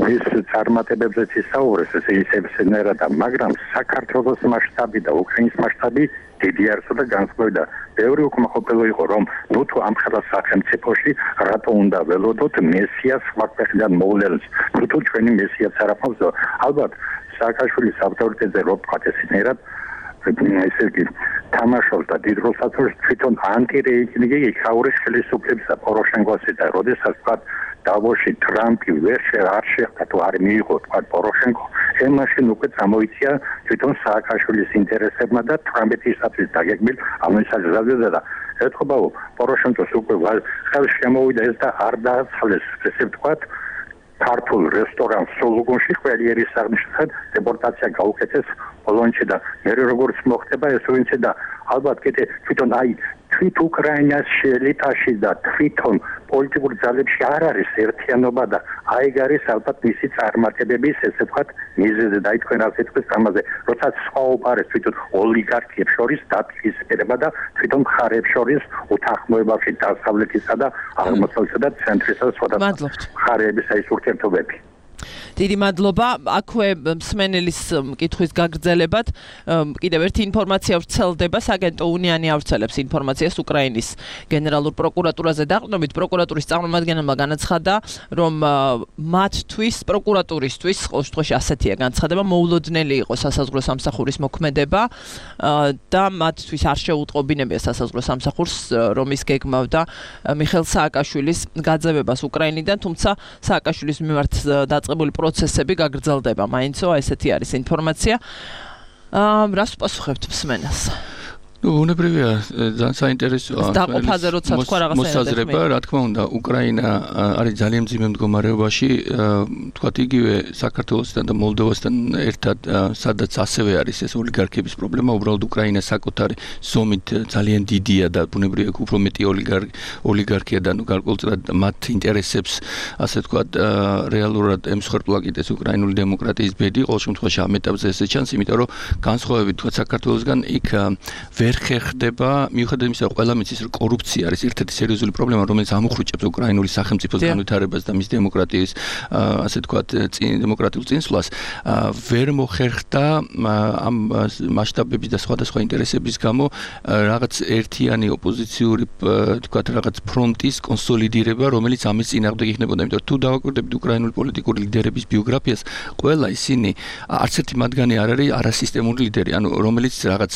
ის წარმატებებზე ისაუბრეს ესე ისევსენერადა, მაგრამ საქართველოს მასშტაბი და უკრაინის მასშტაბი დიდი არისო და განსხვავდა. ბევრი უკმაყოფილო იყო რომ თუ ამ ხელა სახელმწიფოში რატო უნდა ველოდოთ მესიას სხვა ქვეყნიდან მოვლენს. თუ ჩვენი მესიაც არ აქვს, ალბათ სააკაშვილის ავტორიტეტზე რო ვთქვათ ესენერად ესე იგი თამაშობს და დიდ როლს აწვევს თვითონ ანტირეიტინგი იქაურის ხელისუფლების და პოროშენკოსი და როდესაც ვთქვათ დავოში ტრამპი ვერ შეეხება თუ არ მიიღო თქვა პოროშენკო ემაშინ უკვე წამოიწია თვითონ სააკაშვილის ინტერესებმა და ტრამპისათვის დაგეგმილ ამისაზრდა და ეთქობაო პოროშენკოს უკვე ხელს შემოვიდა ეს და არ დააცალეს ესე ვთქვათ ქართულ რესტორანს სოლოგონში ყველიერის აღნიშნულად დეპორტაცია გაუკეთეს პოლონეთში და მე როგორც მოხდება ეს ვინცე და ალბათ კიდე თვითონ თვით უკრაინას ელიტაში და თვითონ პოლიტიკურ ძალებში არ არის ერთიანობა და ეგ არის ალბათ მისი წარმატებების ესე ვთქვათ მიზეზი და თქვენ ასე თქვენ ამაზე როცა სხვაობა არის თვითონ ოლიგარქიებს შორის დაპირისპირება და თვითონ მხარეებს შორის უთანხმოებაში დასავლეთისა და აღმოსავლეთისა და ცენტრისა და სხვადასხვა მხარეების ეს ურთიერთობები დიდი მადლობა. აქვე მსმენელის კითხვის გაგრძელებად კიდევ ერთი ინფორმაცია ვრცელდება. საგენტო უნიანი ავრცელებს ინფორმაციას უკრაინის გენერალურ პროკურატურაზე დაყრდნობით. პროკურატურის წარმომადგენელმა განაცხადა, რომ მათთვის პროკურატურისთვის ყოველ შემთხვევაში ასეთია განცხადება, მოულოდნელი იყო სასაზღვრო სამსახურის მოქმედება და მათთვის არ შეუტყობინებია სასაზღვრო სამსახურს, რომ ის გეგმავდა მიხეილ სააკაშვილის გაძევებას უკრაინიდან, თუმცა სააკაშვილის მიმართ დაწყებული პროცესები გაგრძელდება. მაინცო ესეთი არის ინფორმაცია. რას უპასუხებთ მსმენელს? უნებრივია ძალიან საინტერესოა დაყოფაზე როცა თქვა რაღაცა მოსაზრება, რა თქმა უნდა, უკრაინა არის ძალიან მძიმე მდგომარეობაში, თქვათ იგივე საქართველოსთან და მოლდოვასთან ერთად, სადაც ასევე არის ეს ოლიგარქების პრობლემა, უბრალოდ უკრაინა საკუთარი ზომით ძალიან დიდია და ბუნებრივია უფრო მეტი ოლიგარქია და გარკვეულწილად მათ ინტერესებს, ასე თქვათ, რეალურად ემსხვერპლა კიდეს უკრაინული დემოკრატიის ბედი, ყოველ შემთხვევაში ამ ეტაპზე ესე ჩანს, იმიტომ რომ განსხვავებით თქვათ საქართველოსგან იქ ვერ ხერხდება, მიუხედავად იმისა, რომ ყველა მიცის, რომ კორუფცია არის ერთ-ერთი სერიოზული პრობლემა, რომელიც ამოხრუჭებს უკრაინული სახელმწიფოს განვითარებას და მის დემოკრატიის, ასე თქვათ, დემოკრატიულ წინსვლას, ვერ მოხერხდა ამ მასშტაბების და სხვადასხვა ინტერესების გამო რაღაც ერთიანი ოპოზიციური, თქვათ, რაღაც ფრონტის კონსოლიდირება, რომელიც ამის წინააღმდეგ იქნებოდა. იმიტომ რომ თუ დავაკვირდებით უკრაინული პოლიტიკური ლიდერების ბიოგრაფიას, ყველა ისინი არც ერთი მათგანი არ არის არასისტემური ლიდერი, ანუ რომელიც რაღაც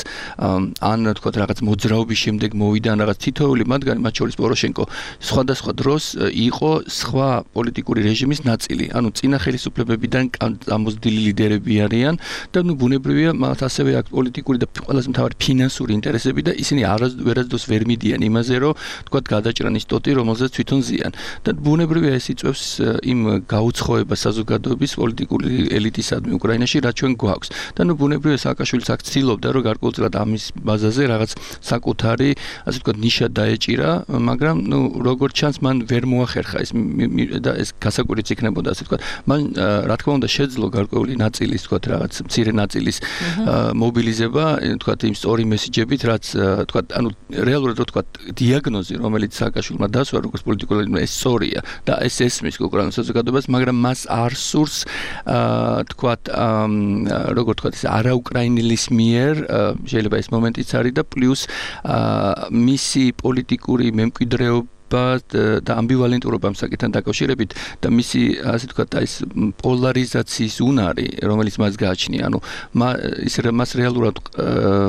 ან თქვათ რაღაც მოძრაობის შემდეგ მოვიდა რაღაც თითოეული მათგანი, მათ შორის პოროშენკო სხვადასხვა დროს იყო სხვა პოლიტიკური რეჟიმის ნაწილი. ანუ წინა ხელისუფლებებიდან ამოზრდილი ლიდერები არიან და ნუ ბუნებრივია მათ ასევე აქვს პოლიტიკური და ყველაზე მთავარი ფინანსური ინტერესები და ისინი ვერასდროს ვერ მიდიან იმაზე, რომ თქვათ გადაჭრან ის ტოტი, რომელზეც თვითონ ზიან. და ბუნებრივია ეს იწვევს იმ გაუცხოებას საზოგადოების პოლიტიკური ელიტისადმი უკრაინაში, რაც ჩვენ გვაქვს. და ნუ ბუნებრივია სააკაშვილიც აქ ცდილობდა, რომ გარკვეულწილად ამის ბაზაზე რაღაც საკუთარი, ასე ვთქვათ, ნიშა დაეჭირა, მაგრამ ნუ როგორც ჩანს, მან ვერ მოახერხა ეს და ეს გასაკვირიც იქნებოდა, ასე ვთქვათ. მან რა თქმა უნდა შეძლო გარკვეული ნაწილის, ვთქვათ, რაღაც მცირე ნაწილის მობილიზება, ვთქვათ, იმ სწორი მესიჯებით, რაც ვთქვათ, ანუ რეალურად რო ვთქვათ, დიაგნოზი, რომელიც სააკაშვილმა დასვა, როგორც პოლიტიკული, ეს სწორია და ეს ესმის უკრაინის საზოგადოებას, მაგრამ მას არ სურს, ვთქვათ, როგორ ვთქვათ, ეს არაუკრაინელის მიერ შეიძლება ეს მომენტიც არის და პლუს მისი პოლიტიკური მემკვიდრეობა და ამბივალენტურობა ამ საკითხთან დაკავშირებით და მისი ასე ვთქვათ ეს პოლარიზაციის უნარი, რომელიც მას გააჩნია, ანუ მას რეალურად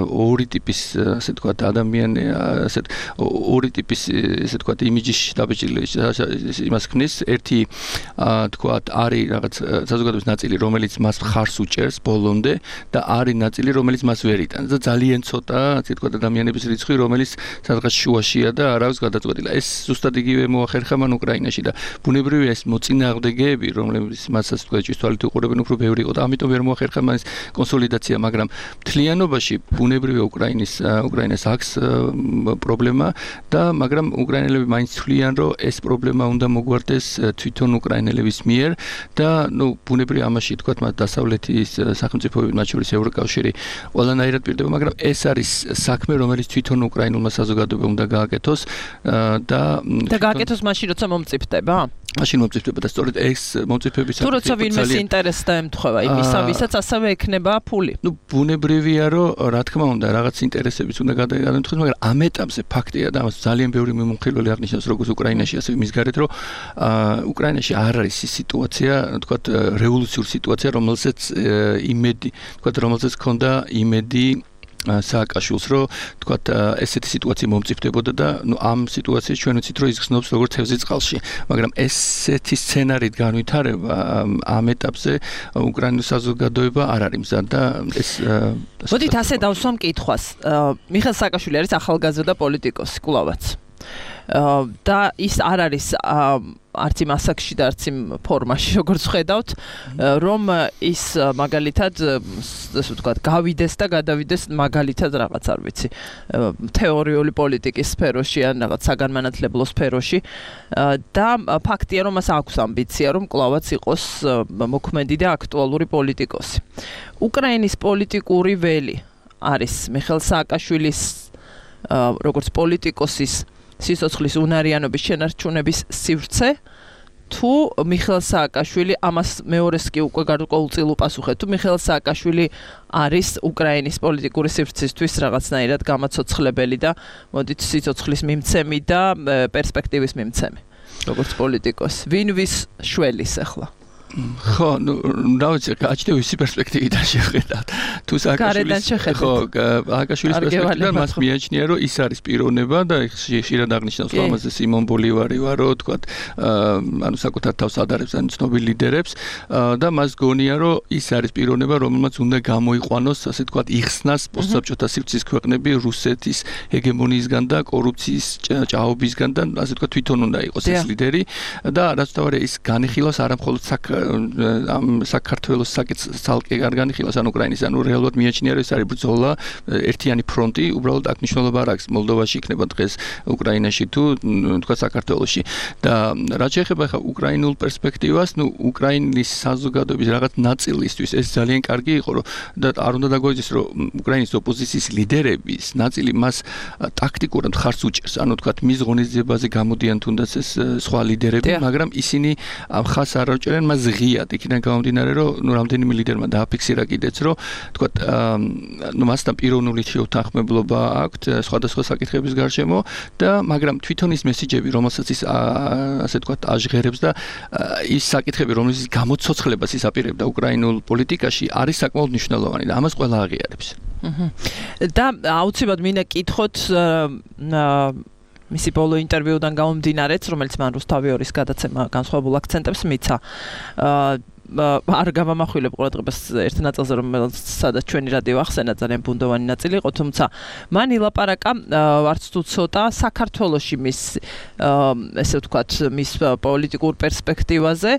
ორი ტიპის ასე ვთქვათ ადამიანი, ასე ორი ტიპის ასე ვთქვათ იმიჯის დაბეჭდილება იმას ქმნის, ერთი ვთქვათ არის რაღაც საზოგადოების ნაწილი, რომელიც მას ხარს უჭერს ბოლომდე და არის ნაწილი, რომელიც მას ვერ იტანს და ძალიან ცოტა ასე ვთქვათ ადამიანების რიცხვი, რომელიც სადღაც შუაშია და არ აქვს გადაწყვეტილი. ეს ზუსტად იგივე მოახერხა მან უკრაინაში და ბუნებრივია ეს მოწინააღმდეგეები, რომლებიც მას ასე ვთქვათ ჭვისთვალით უყურებენ, უფრო ბევრი იყო და ამიტომ ვერ მოახერხა მან კონსოლიდაცია, მაგრამ მთლიანობაში ბუნებრივია უკრაინას აქვს პრობლემა და მაგრამ უკრაინელები მაინც თვლიან, რომ ეს პრობლემა უნდა მოგვარდეს თვითონ უკრაინელების მიერ და ნუ ბუნებრივია ამაში თქვათ მათ დასავლეთის სახელმწიფოები, მათ შორის ევროკავშირი ყველანაირად პირდება, მაგრამ ეს არის საქმე, რომელიც თვითონ უკრაინულმა საზოგადოებამ უნდა გააკეთოს და გააკეთოს მაშინ, როცა მომწიფდება? მაშინ მომწიფდება და სწორედ ეს მომწიფების თუ როცა ვინმეს ინტერესს დაემთხვევა იმისა, ვისაც ასევე ექნება ფული. ნუ ბუნებრივია, რომ რა თქმა უნდა, რაღაც ინტერესებიც უნდა გადაემთხვეს, მაგრამ ამ ეტაპზე ფაქტია და ამას ძალიან ბევრი მიმოხილველი აღნიშნავს, როგორც უკრაინაში, ასევე მის გარეთ, რომ უკრაინაში არ არის ის სიტუაცია, თქვათ, რევოლუციური სიტუაცია, რომელზეც იმედი, თქვათ, რომელზეც ქონდა იმედი სააკაშვილს, რომ თქვათ ესეთი სიტუაცია მომწიფდებოდა და ნუ ამ სიტუაციაში ჩვენ ვიცით, რომ ის ხსნობს როგორც თევზი წყალში, მაგრამ ესეთი სცენარით განვითარება ამ ეტაპზე უკრაინის საზოგადოება არ არის მზად და ეს მოდით ასე დავსვამ კითხვას. მიხეილ სააკაშვილი არის ახალგაზრდა პოლიტიკოსი, კვლავაც. და ის არ არის არც იმ ასაკში და არც იმ ფორმაში, როგორც ხედავთ, რომ ის მაგალითად, ასე ვთქვათ, გავიდეს და გადავიდეს მაგალითად რაღაც არ ვიცი, თეორიული პოლიტიკის სფეროში ან რაღაც საგანმანათლებლო სფეროში და ფაქტია, რომ მას აქვს ამბიცია, რომ კვლავაც იყოს მოქმედი და აქტუალური პოლიტიკოსი. უკრაინის პოლიტიკური ველი არის მიხეილ სააკაშვილის როგორც პოლიტიკოსის სიცოცხლის უნარიანობის შენარჩუნების სივრცე თუ მიხეილ სააკაშვილი ამას მეორეს კი უკვე გარკვეულწილ უპასუხეთ თუ მიხეილ სააკაშვილი არის უკრაინის პოლიტიკური სივრცისთვის რაღაცნაირად გამაცოცხლებელი და მოდით სიცოცხლის მიმცემი და პერსპექტივის მიმცემი როგორც პოლიტიკოსი ვინ ვის შველის ახლა ხო, დავიცი, გაჩნდა ვისი პერსპექტივიდან შეხედათ. თუ სააკაშვილის სააკაშვილის პერსპექტივიდან მას მიაჩნია, რომ ის არის პიროვნება და ხშირად აღნიშნავს, რომ ამაზე სიმონ ბოლივარი ვარო, თქვათ, ანუ საკუთარ თავს ადარებს ან ცნობილ ლიდერებს და მას გონია, რომ ის არის პიროვნება, რომელმაც უნდა გამოიყვანოს, ასე თქვათ, იხსნას პოსტსაბჭოთა სივრცის ქვეყნები რუსეთის ჰეგემონიისგან და კორუფციის ჭაობისგან და ასე თქვათ, თვითონ უნდა იყოს ეს ლიდერი და რაც თავარია ის განიხილავს არა მხოლოდ ამ საქართველოს საკითხი არ განიხილავს ან უკრაინის ანუ რეალურად მიაჩნია რომ ეს არის ბრძოლა ერთიანი ფრონტი უბრალოდ აქ მნიშვნელობა არ აქვს მოლდოვაში იქნება დღეს უკრაინაში თუ თქვა საქართველოში და რაც შეეხება ხა უკრაინულ პერსპექტივას ნუ უკრაინის საზოგადოების რაღაც ნაწილისთვის ეს ძალიან კარგი იყო რომ და არ უნდა დაგვეძიოს რომ უკრაინის ოპოზიციის ლიდერების ნაწილი მას ტაქტიკურად ხარს უჭერს ანუ თქვა მის ღონისძიებაზე გამოდიან თუნდაც ეს სხვა ლიდერები მაგრამ ისინი ამ ხას არ აჭერენ მას ღიად იქიდან გამომდინარე რომ ნუ რამდენიმე ლიდერმა დააფიქსირა კიდეც რომ თქვა ნუ მასთან პიროვნული შეუთანხმებლობა აქვს სხვადასხვა საკითხების გარშემო და მაგრამ თვითონ ის მესიჯები რომელსაც ის ასე თქვა აჟღერებს და ის საკითხები რომელიც გამოცოცხლებას ის აპირებდა უკრაინულ პოლიტიკაში არის საკმაოდ მნიშვნელოვანი და ამას ყველა აღიარებს. და აუცილებლად მინდა კითხოთ მისი ბოლო ინტერვიუდან გამომდინარეც, რომელიც მან რუსთავიორის გადაცემა განსხვავებულ აქცენტებს მიცა. არ გამამახვილებ ყურადღებას ერთ ნაწილზე, სადაც ჩვენი რადიო ახსენა ძალიან ბუნდოვანი ნაწილი იყო, თუმცა მან ილაპარაკა არც თუ ცოტა საქართველოში მის ესე ვთქვათ, მის პოლიტიკურ პერსპექტივაზე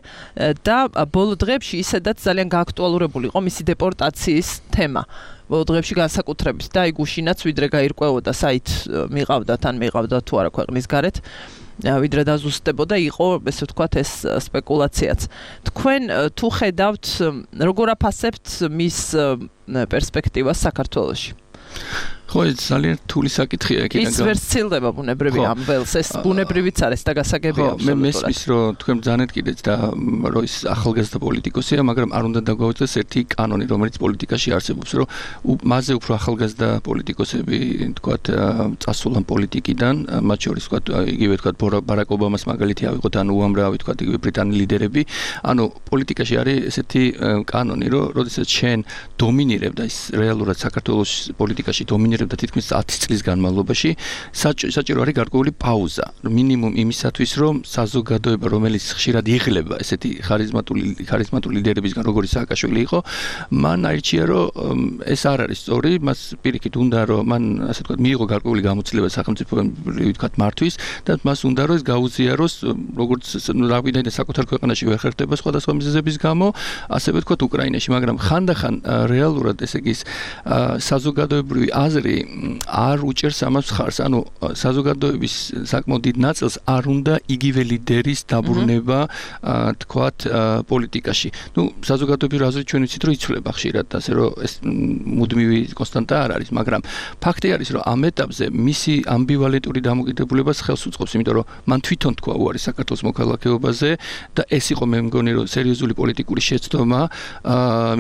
და ბოლო დღეებში ისედაც ძალიან გააქტუალურებული იყო მისი დეპორტაციის თემა. ბოლო დღეებში განსაკუთრებით და აი გუშინაც ვიდრე გაირკვეოდა საით მიყავდა თან მიყავდა თუ არა ქვეყნის გარეთ ვიდრე დაზუსტებოდა იყო ესე ვთქვათ ეს სპეკულაციაც. თქვენ თუ ხედავთ როგორ აფასებთ მის პერსპექტივას საქართველოში? ხო, ძალიან რთული საკითხია იქიდან. ის ვერ სცილდება ბუნებრივი ამ ველს, ეს ბუნებრივიც არის და გასაგებია. მე მესმის რომ თქვენ ბრძანეთ კიდეც და რომ ის ახალგაზრდა პოლიტიკოსია, მაგრამ არ უნდა დაგვაუწყდეს ერთი კანონი, რომელიც პოლიტიკაში არსებობს, რომ მასზე უფრო ახალგაზრდა პოლიტიკოსები, თქვათ, წასულან პოლიტიკიდან, მათ შორის თქვათ, იგივე თქვათ ბარაკ ობამას მაგალითი ავიღოთ, ან უამრავი თქვათ, იგივე ბრიტანელი ლიდერები, ანუ პოლიტიკაში არის ესეთი კანონი, რომ როდესაც შენ დომინირებ და ის რეალურად საქართველოს პოლიტიკაში დომინირებ და თითქმის 10 წლის განმავლობაში საჭირო არის გარკვეული პაუზა მინიმუმ იმისათვის რომ საზოგადოება რომელიც ხშირად იღლება ესეთი ხარიზმატული ლიდერებისგან როგორც სააკაშვილი იყო მან აირჩია რომ ეს არ არის სწორი მას პირიქით უნდა რომ მან ასე ვთქვათ მიიღო გარკვეული გამოცდილება სახელმწიფოებრივი ვთქვათ მართვის და მას უნდა რომ ეს გაუზიაროს როგორც რაგვიდან საკუთარ ქვეყანაში ვერ ხერხდება სხვადასხვა მიზეზების გამო ასევე ვთქვათ უკრაინაში მაგრამ ხანდახან რეალურად ესე იგი საზოგადოებრივი აზრი არ უჭერს ამას ხარს, ანუ საზოგადოების საკმაოდ დიდ ნაწილს არ უნდა იგივე ლიდერის დაბრუნება, თქვათ, პოლიტიკაში. ნუ საზოგადოების აზრი ჩვენ ვიცით, რომ იცვლება ხშირად, ასე რომ ეს მუდმივი კონსტანტა არ არის, მაგრამ ფაქტი არის, რომ ამ ეტაპზე მისი ამბივალენტური დამოკიდებულებას ხელს უწყობს, იმიტომ რომ მან თვითონ თქვა უარი საქართველოს მოქალაქეობაზე და ეს იყო მე მგონი, რომ სერიოზული პოლიტიკური შეცდომა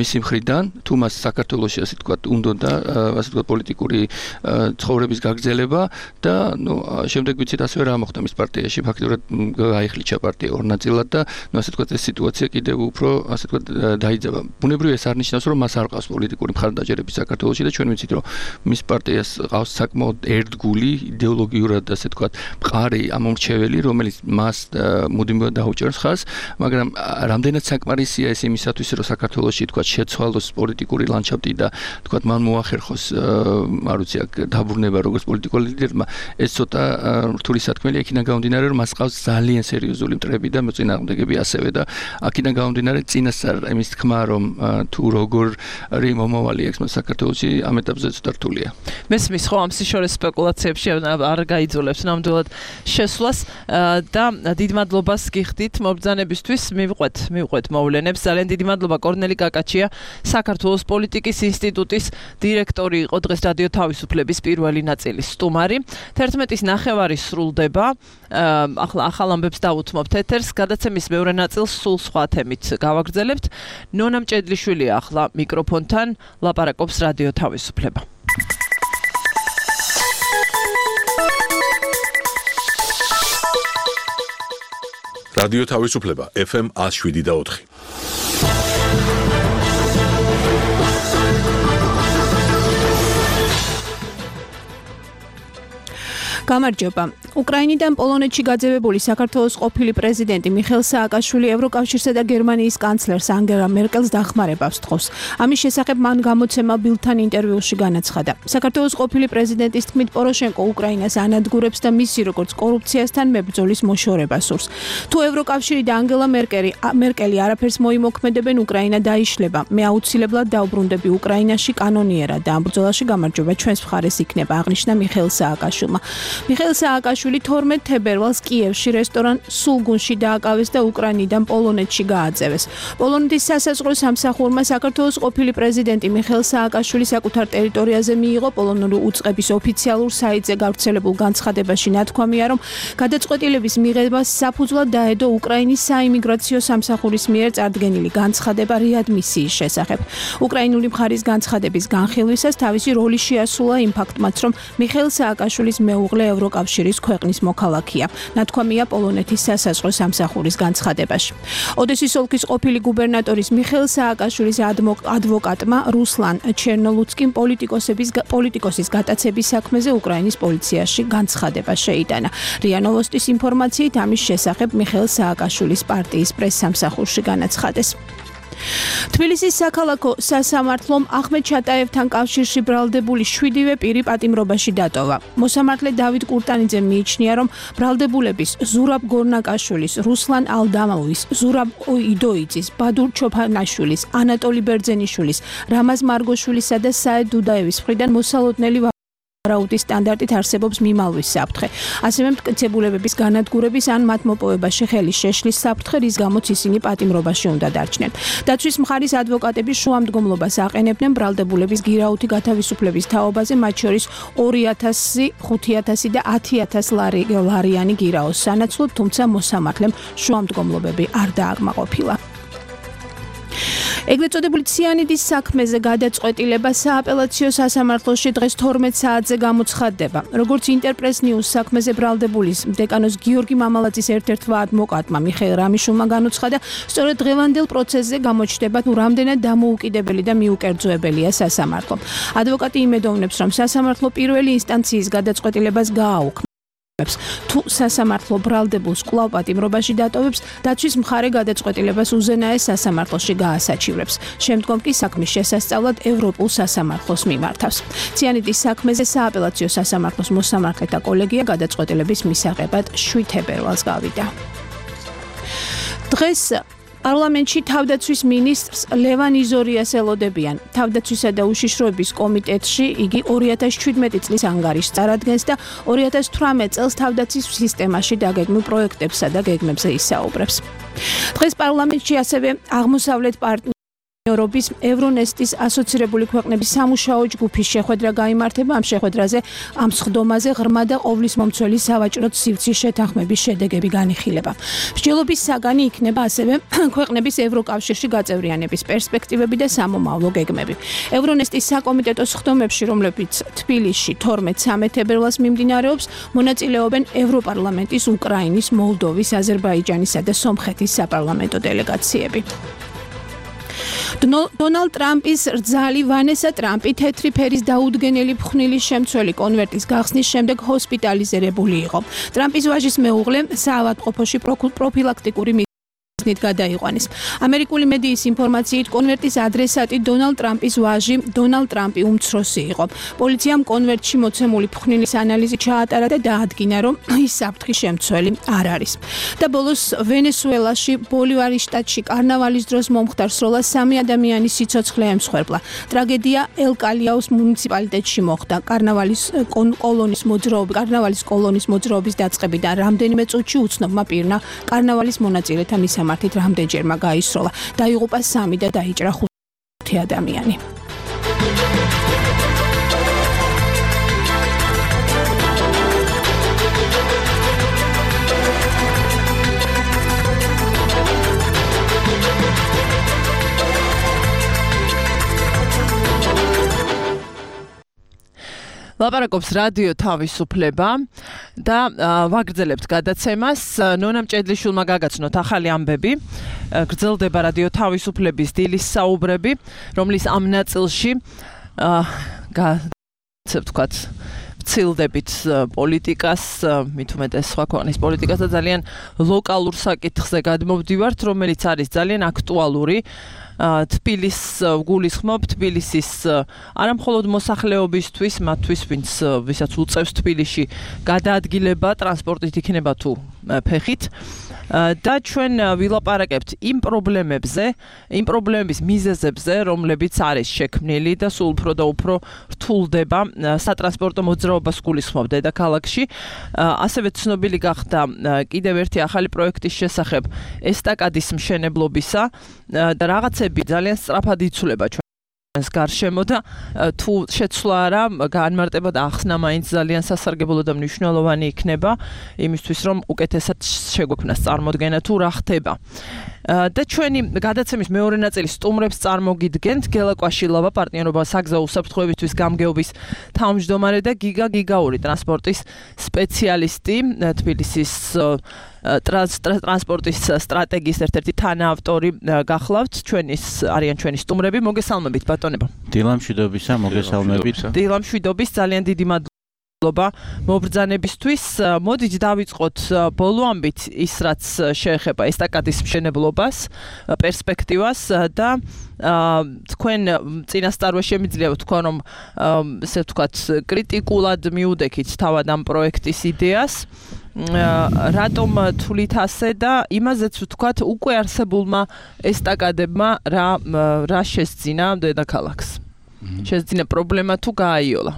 მისი მხრიდან, თუ მას საქართველოში ასე თქვათ, უნდოდა ასე თქვათ პოლიტიკური ცხოვრების გაგრძელება და ნუ შემდეგ ვიცით ასევე რა მოხდა მის პარტიაში ფაქტობრივად გაიხლიჩა პარტია ორ ნაწილად და ნუ ასე თქვა ეს სიტუაცია კიდევ უფრო ასე თქვა დაიძაბა. ბუნებრივია ეს არ ნიშნავს რომ მას არ ყავს პოლიტიკური მხარდაჭერები საქართველოში და ჩვენ ვიცით რომ მის პარტიას ყავს საკმაოდ ერთგული იდეოლოგიურად ასე თქვა მყარი ამომრჩეველი რომელიც მას მუდმივად დაუჭერს ხაზს მაგრამ რამდენად საკმარისია ეს იმისათვის რომ საქართველოში თქვა შეცვალოს პოლიტიკური ლანდშაფტი და თქვა მან მოახერხოს არ ვიცი აქ დაბრუნება როგორც პოლიტიკურ ლიდერმა ეს ცოტა რთული სათქმელი აქედან გამომდინარე რომ მას ყავს ძალიან სერიოზული მტრები და მოწინააღმდეგები ასევე და აქედან გამომდინარე წინასწარ იმის თქმა რომ თუ როგორი მომავალი აქვს საქართველოში ამ ეტაპზე ცოტა რთულია. მესმის ხო ამ სიშორეს სპეკულაციებში არ გაიძულებს ნამდვილად შესვლას და დიდ მადლობას გიხდით მობრძანებისთვის მივყვეთ მოვლენებს. ძალიან დიდი მადლობა კორნელი კაკაჩია საქართველოს პოლიტიკის ინსტიტუტის დირექტორი იყო დღეს რადიო თავისუფლების პირველი ნაწილის სტუმარი. 11:09 სრულდება. ახლა ახალ ამბებს დავუთმობთ ეთერს. გადაცემის მეორე ნაწილს სულ სხვა თემით გავაგრძელებთ. ნონა მჭედლიშვილია ახლა მიკროფონთან ლაპარაკობს რადიო თავისუფლება. რადიო თავისუფლება FM 107.4. გამარჯობა. უკრაინიდან პოლონეთში გაძევებული საქართველოს ყოფილი პრეზიდენტი მიხეილ სააკაშვილი ევროკავშირსა და გერმანიის კანცლერს ანგელა მერკელს დახმარებას თხოვს. ამის შესახებ მან გამოცემა ბილდთან ინტერვიუში განაცხადა. საქართველოს ყოფილი პრეზიდენტის თქმით პოროშენკო უკრაინას ანადგურებს და მისი როგორც კორუფციასთან მებრძოლის მოშორება სურს. თუ ევროკავშირი და ანგელა მერკელი არაფერს მოიმოქმედებენ, უკრაინა დაიშლება. მე აუცილებლად დავბრუნდები უკრაინაში კანონიერად და ამ ბრძოლაში გამარჯვება ჩვენს მხარეს იქნება, აღნიშნა მიხეილ სააკაშვილმა. მიხეილ სააკაშვილი 12 თებერვალს კიევში რესტორან სულგუნში დააკავეს და უკრაინიდან პოლონეთში გააძევეს. პოლონეთის სასაზღვრო სამსახურმა საქართველოს ყოფილი პრეზიდენტი მიხეილ სააკაშვილი საკუთარ ტერიტორიაზე მიიღო. პოლონური უწყების ოფიციალურ საიტზე გავრცელებულ განცხადებაში ნათქვამია, რომ გადაწყვეტილების მიღებას საფუძვლად დაედო უკრაინის საიმიგრაციო სამსახურის მიერ წარდგენილი განცხადება რეადმისიის შესახებ. უკრაინული მხარის განცხადების განხილვისას თავისი როლი შეასრულა იმ ფაქტმაც, რომ მიხეილ სააკაშვილის მეუღლე ევროკავშირის ქვეყნის მოქალაქეა. ნათქვამია პოლონეთის სასაზღვრო სამსახურის განცხადებაში. ოდესის ოლქის ყოფილი გუბერნატორის მიხეილ სააკაშვილის ადვოკატმა რუსლან ჩერნოლუცკიმ პოლიტიკოსის გატაცების საქმეზე უკრაინის პოლიციაში განცხადება შეიტანა. რია ნოვოსტის ინფორმაციით ამის შესახებ მიხეილ სააკაშვილის პარტიის პრეს-სამსახურში განაცხადეს. თბილისის საქალაქო სასამართლომ ახმედ ჩატაევთან კავშირში ბრალდებული 7-ვე პირი პატიმრობაში დატოვა. მოსამართლე დავით კურტანიძე მიიჩნია, რომ ბრალდებულების ზურაბ გორნაკაშვილის, რუსლან ალდამოვის, ზურაბ იდოიძის, ბადურ ჩოფანაშვილის, ანატოლი ბერძენიშვილის, რამაზ მარგოშვილისა და საედ დუდაევის მხრიდან მოსალოდნელი ვარაუდის სტანდარტით არსებობს მიმალვის საფრთხე. ასევე მტკიცებულებების განადგურების ან მათ მოპოვებაში ხელის შეშლის საფრთხე, რის გამოც ისინი პატიმრობაში უნდა დარჩნენ. დაცვის მხარის ადვოკატები შუამდგომლობას აყენებდნენ ბრალდებულების გირაუთი გათავისუფლების თაობაზე, მათ შორის 2000, 5000 და 10000 ლარიანი გირაოს სანაცვლოდ, თუმცა მოსამართლემ შუამდგომლობები არ დააკმაყოფილა. ეგრეთ წოდებული ციანიდის საქმეზე გადაწყვეტილება სააპელაციო სასამართლოში დღეს 12 საათზე გამოცხადდება. როგორც ინტერპრეს ნიუს საქმეზე ბრალდებულის დეკანოს გიორგი მამალაძის ერთ-ერთმა ადვოკატმა მიხეილ რამიშულმა განუცხადა, სწორედ დღევანდელ პროცესზე გამოჩნდება თუ რამდენად დამოუკიდებელი და მიუკერძოებელია სასამართლო. ადვოკატი იმედოვნებს, რომ სასამართლო პირველი ინსტანციის გადაწყვეტილებას გააუქმებს. თუ სასამართლო ბრალდებულს კვლავ პატიმრობაში დატოვებს, დაცვის მხარე გადაწყვეტილებას უზენაეს სასამართლოში გაასაჩივრებს. შემდგომ კი საქმის შესასწავლად ევროპულ სასამართლოს მიმართავს. ციანიდის საქმეზე სააპელაციო სასამართლოს მოსამართლეთა კოლეგია გადაწყვეტილების მისაღებად 7 თებერვალს გავიდა. დღეს პარლამენტში თავდაცვის მინისტრს ლევან იზორიას ელოდებიან. თავდაცვისა და უშიშროების კომიტეტში იგი 2017 წლის ანგარიშს წარადგენს და 2018 წელს თავდაცვის სისტემაში დაგეგმილ პროექტებსა და გეგმებზე ისაუბრებს. დღეს პარლამენტში ასევე აღმოსავლეთ პარტნიორობის ევრონესტის ასოცირებული ქვეყნების სამუშაო ჯგუფის შეხვედრა გაიმართება. ამ შეხვედრაზე ამ სხდომაზე ღრმა და ყოვლის მომცველი სავაჭრო სივრცის შეთანხმების შედეგები განიხილება. მსჯელობის საგანი იქნება ასევე ქვეყნების ევროკავშირში გაწევრიანების პერსპექტივები და სამომავლო გეგმები. ევრონესტის საკომიტეტო სხდომებში, რომლებიც თბილისში 12-13 თებერვალს მიმდინარეობს, მონაწილეობენ ევროპარლამენტის, უკრაინის, მოლდოვის, აზერბაიჯანისა და სომხეთის საპარლამენტო დელეგაციები. დონალდ ტრამპის რძალი ვანესა ტრამპი თეთრი ფერის დაუდგენელი ფხვნილის შემცველი კონვერტის გახსნის შემდეგ ჰოსპიტალიზირებული იყო. ტრამპის ვაჟის მეუღლე საავადმყოფოში პროფილაქტიკური ნით გადაიყვანეს. ამერიკული მედიის ინფორმაციით კონვერტის ადრესატი დონალდ ტრამპის ვაჟი დონალდ ტრამპი უმცროსი იყო. პოლიციამ კონვერტში მოცემული ფხვნილის ანალიზი ჩაატარა და დაადგინა, რომ ის საფრთხის შემცველი არ არის. და ბოლოს ვენესუელაში ბოლივარის შტატში კარნავალის დროს მომხდარ სროლას 3 ადამიანის სიცოცხლე ემსხვერპლა. ტრაგედია ელ-კალიაუს მუნიციპალიტეტში მოხდა. კარნავალის კოლონის მოძრაობის დაწყებიდან რამდენიმე წუთში უცნობმა პირმა კარნავალის მონაწილეთა მისამართით რამდენჯერმა გაისროლა. დაიღუპა 3 და დაიჭრა 5 ადამიანი. ლაპარაკობს რადიო თავისუფლება და ვაგრძელებთ გადაცემას. ნონა მჭედლიშვილმა გაგაცნოთ ახალი ამბები. გრძელდება რადიო თავისუფლების დილის საუბრები, რომლის ამ ნაწილში ვთქვათ, ვცილდებით პოლიტიკას, მით უმეტეს სხვა ქვეყნის პოლიტიკას და ძალიან ლოკალურ საკითხზე გადმოვდივართ, რომელიც არის ძალიან აქტუალური. თბილისს გულისხმობ თბილისის არა მხოლოდ მოსახლეობისთვის, მათთვის, ვისაც უწევს თბილისში გადაადგილება ტრანსპორტით იქნება თუ ფეხით. და ჩვენ ვილაპარაკებთ იმ პრობლემების მიზეზებზე, რომლებიც არის შექმნილი და სულ უფრო და უფრო რთულდება სატრანსპორტო მოძრაობას გულისხმობ დედაქალაქში. ასევე ცნობილი გახდა კიდევ ერთი ახალი პროექტის შესახებ ესტაკადის მშენებლობისა და რაღაცები ძალიან სწრაფად იცვლება ჩვენს გარშემო და თუ შეცვლა არა, განმარტება და ახსნა მაინც ძალიან სასარგებლო და მნიშვნელოვანი იქნება იმისთვის, რომ უკეთესად შეგვექმნას წარმოდგენა თუ რა ხდება. და ჩვენი გადაცემის მეორე ნაწილის სტუმრებს წარმოგიდგენთ გელა კვაშილავა, პარტნიორობა საგზაო უსაფრთხოებისთვის გამგეობის თავმჯდომარე და გიგაური ტრანსპორტის სპეციალისტი, თბილისის ტრანსპორტის სტრატეგიის ერთ-ერთი თანაავტორი გახლავთ. არიან ჩვენი სტუმრები. მოგესალმებით ბატონებო. დილამშვიდობისა, მოგესალმებით. დილამშვიდობის, ძალიან დიდი მადლობა მობრძანებისთვის. მოდით დავიწყოთ ბოლო ამბით ის, რაც შეეხება ესტაკადის მშენებლობას, პერსპექტივას და თქვენ წინასწარვე შემიძლია ვთქვა, რომ ესე ვთქვათ, კრიტიკულად მიუდექით თავად ამ პროექტის იდეას. რატომ თვლით ასე და იმაზეც ვთქვათ, უკვე არსებულმა ესტაკადებმა რა შესძინა დედაქალაქს? შესძინა პრობლემა თუ გააიოლა?